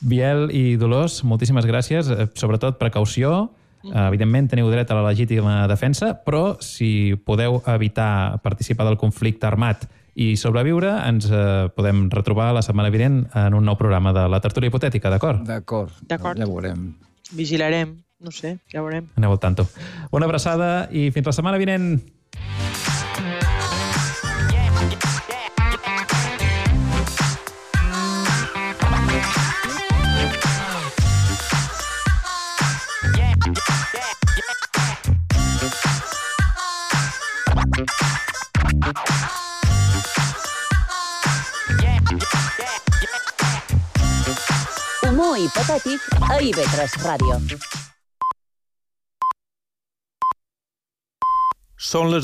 Biel i Dolors, moltíssimes gràcies, sobretot precaució. Evidentment teniu dret a la legítima defensa, però si podeu evitar participar del conflicte armat i sobreviure, ens eh, podem retrobar la setmana vinent en un nou programa de la tertúlia hipotètica, d'acord? D'acord, D'acord. ja veurem. Vigilarem, no sé, ja veurem. Aneu al tanto. Una abraçada i fins la setmana vinent. Humor hipotètic a I V tres Ràdio. Són les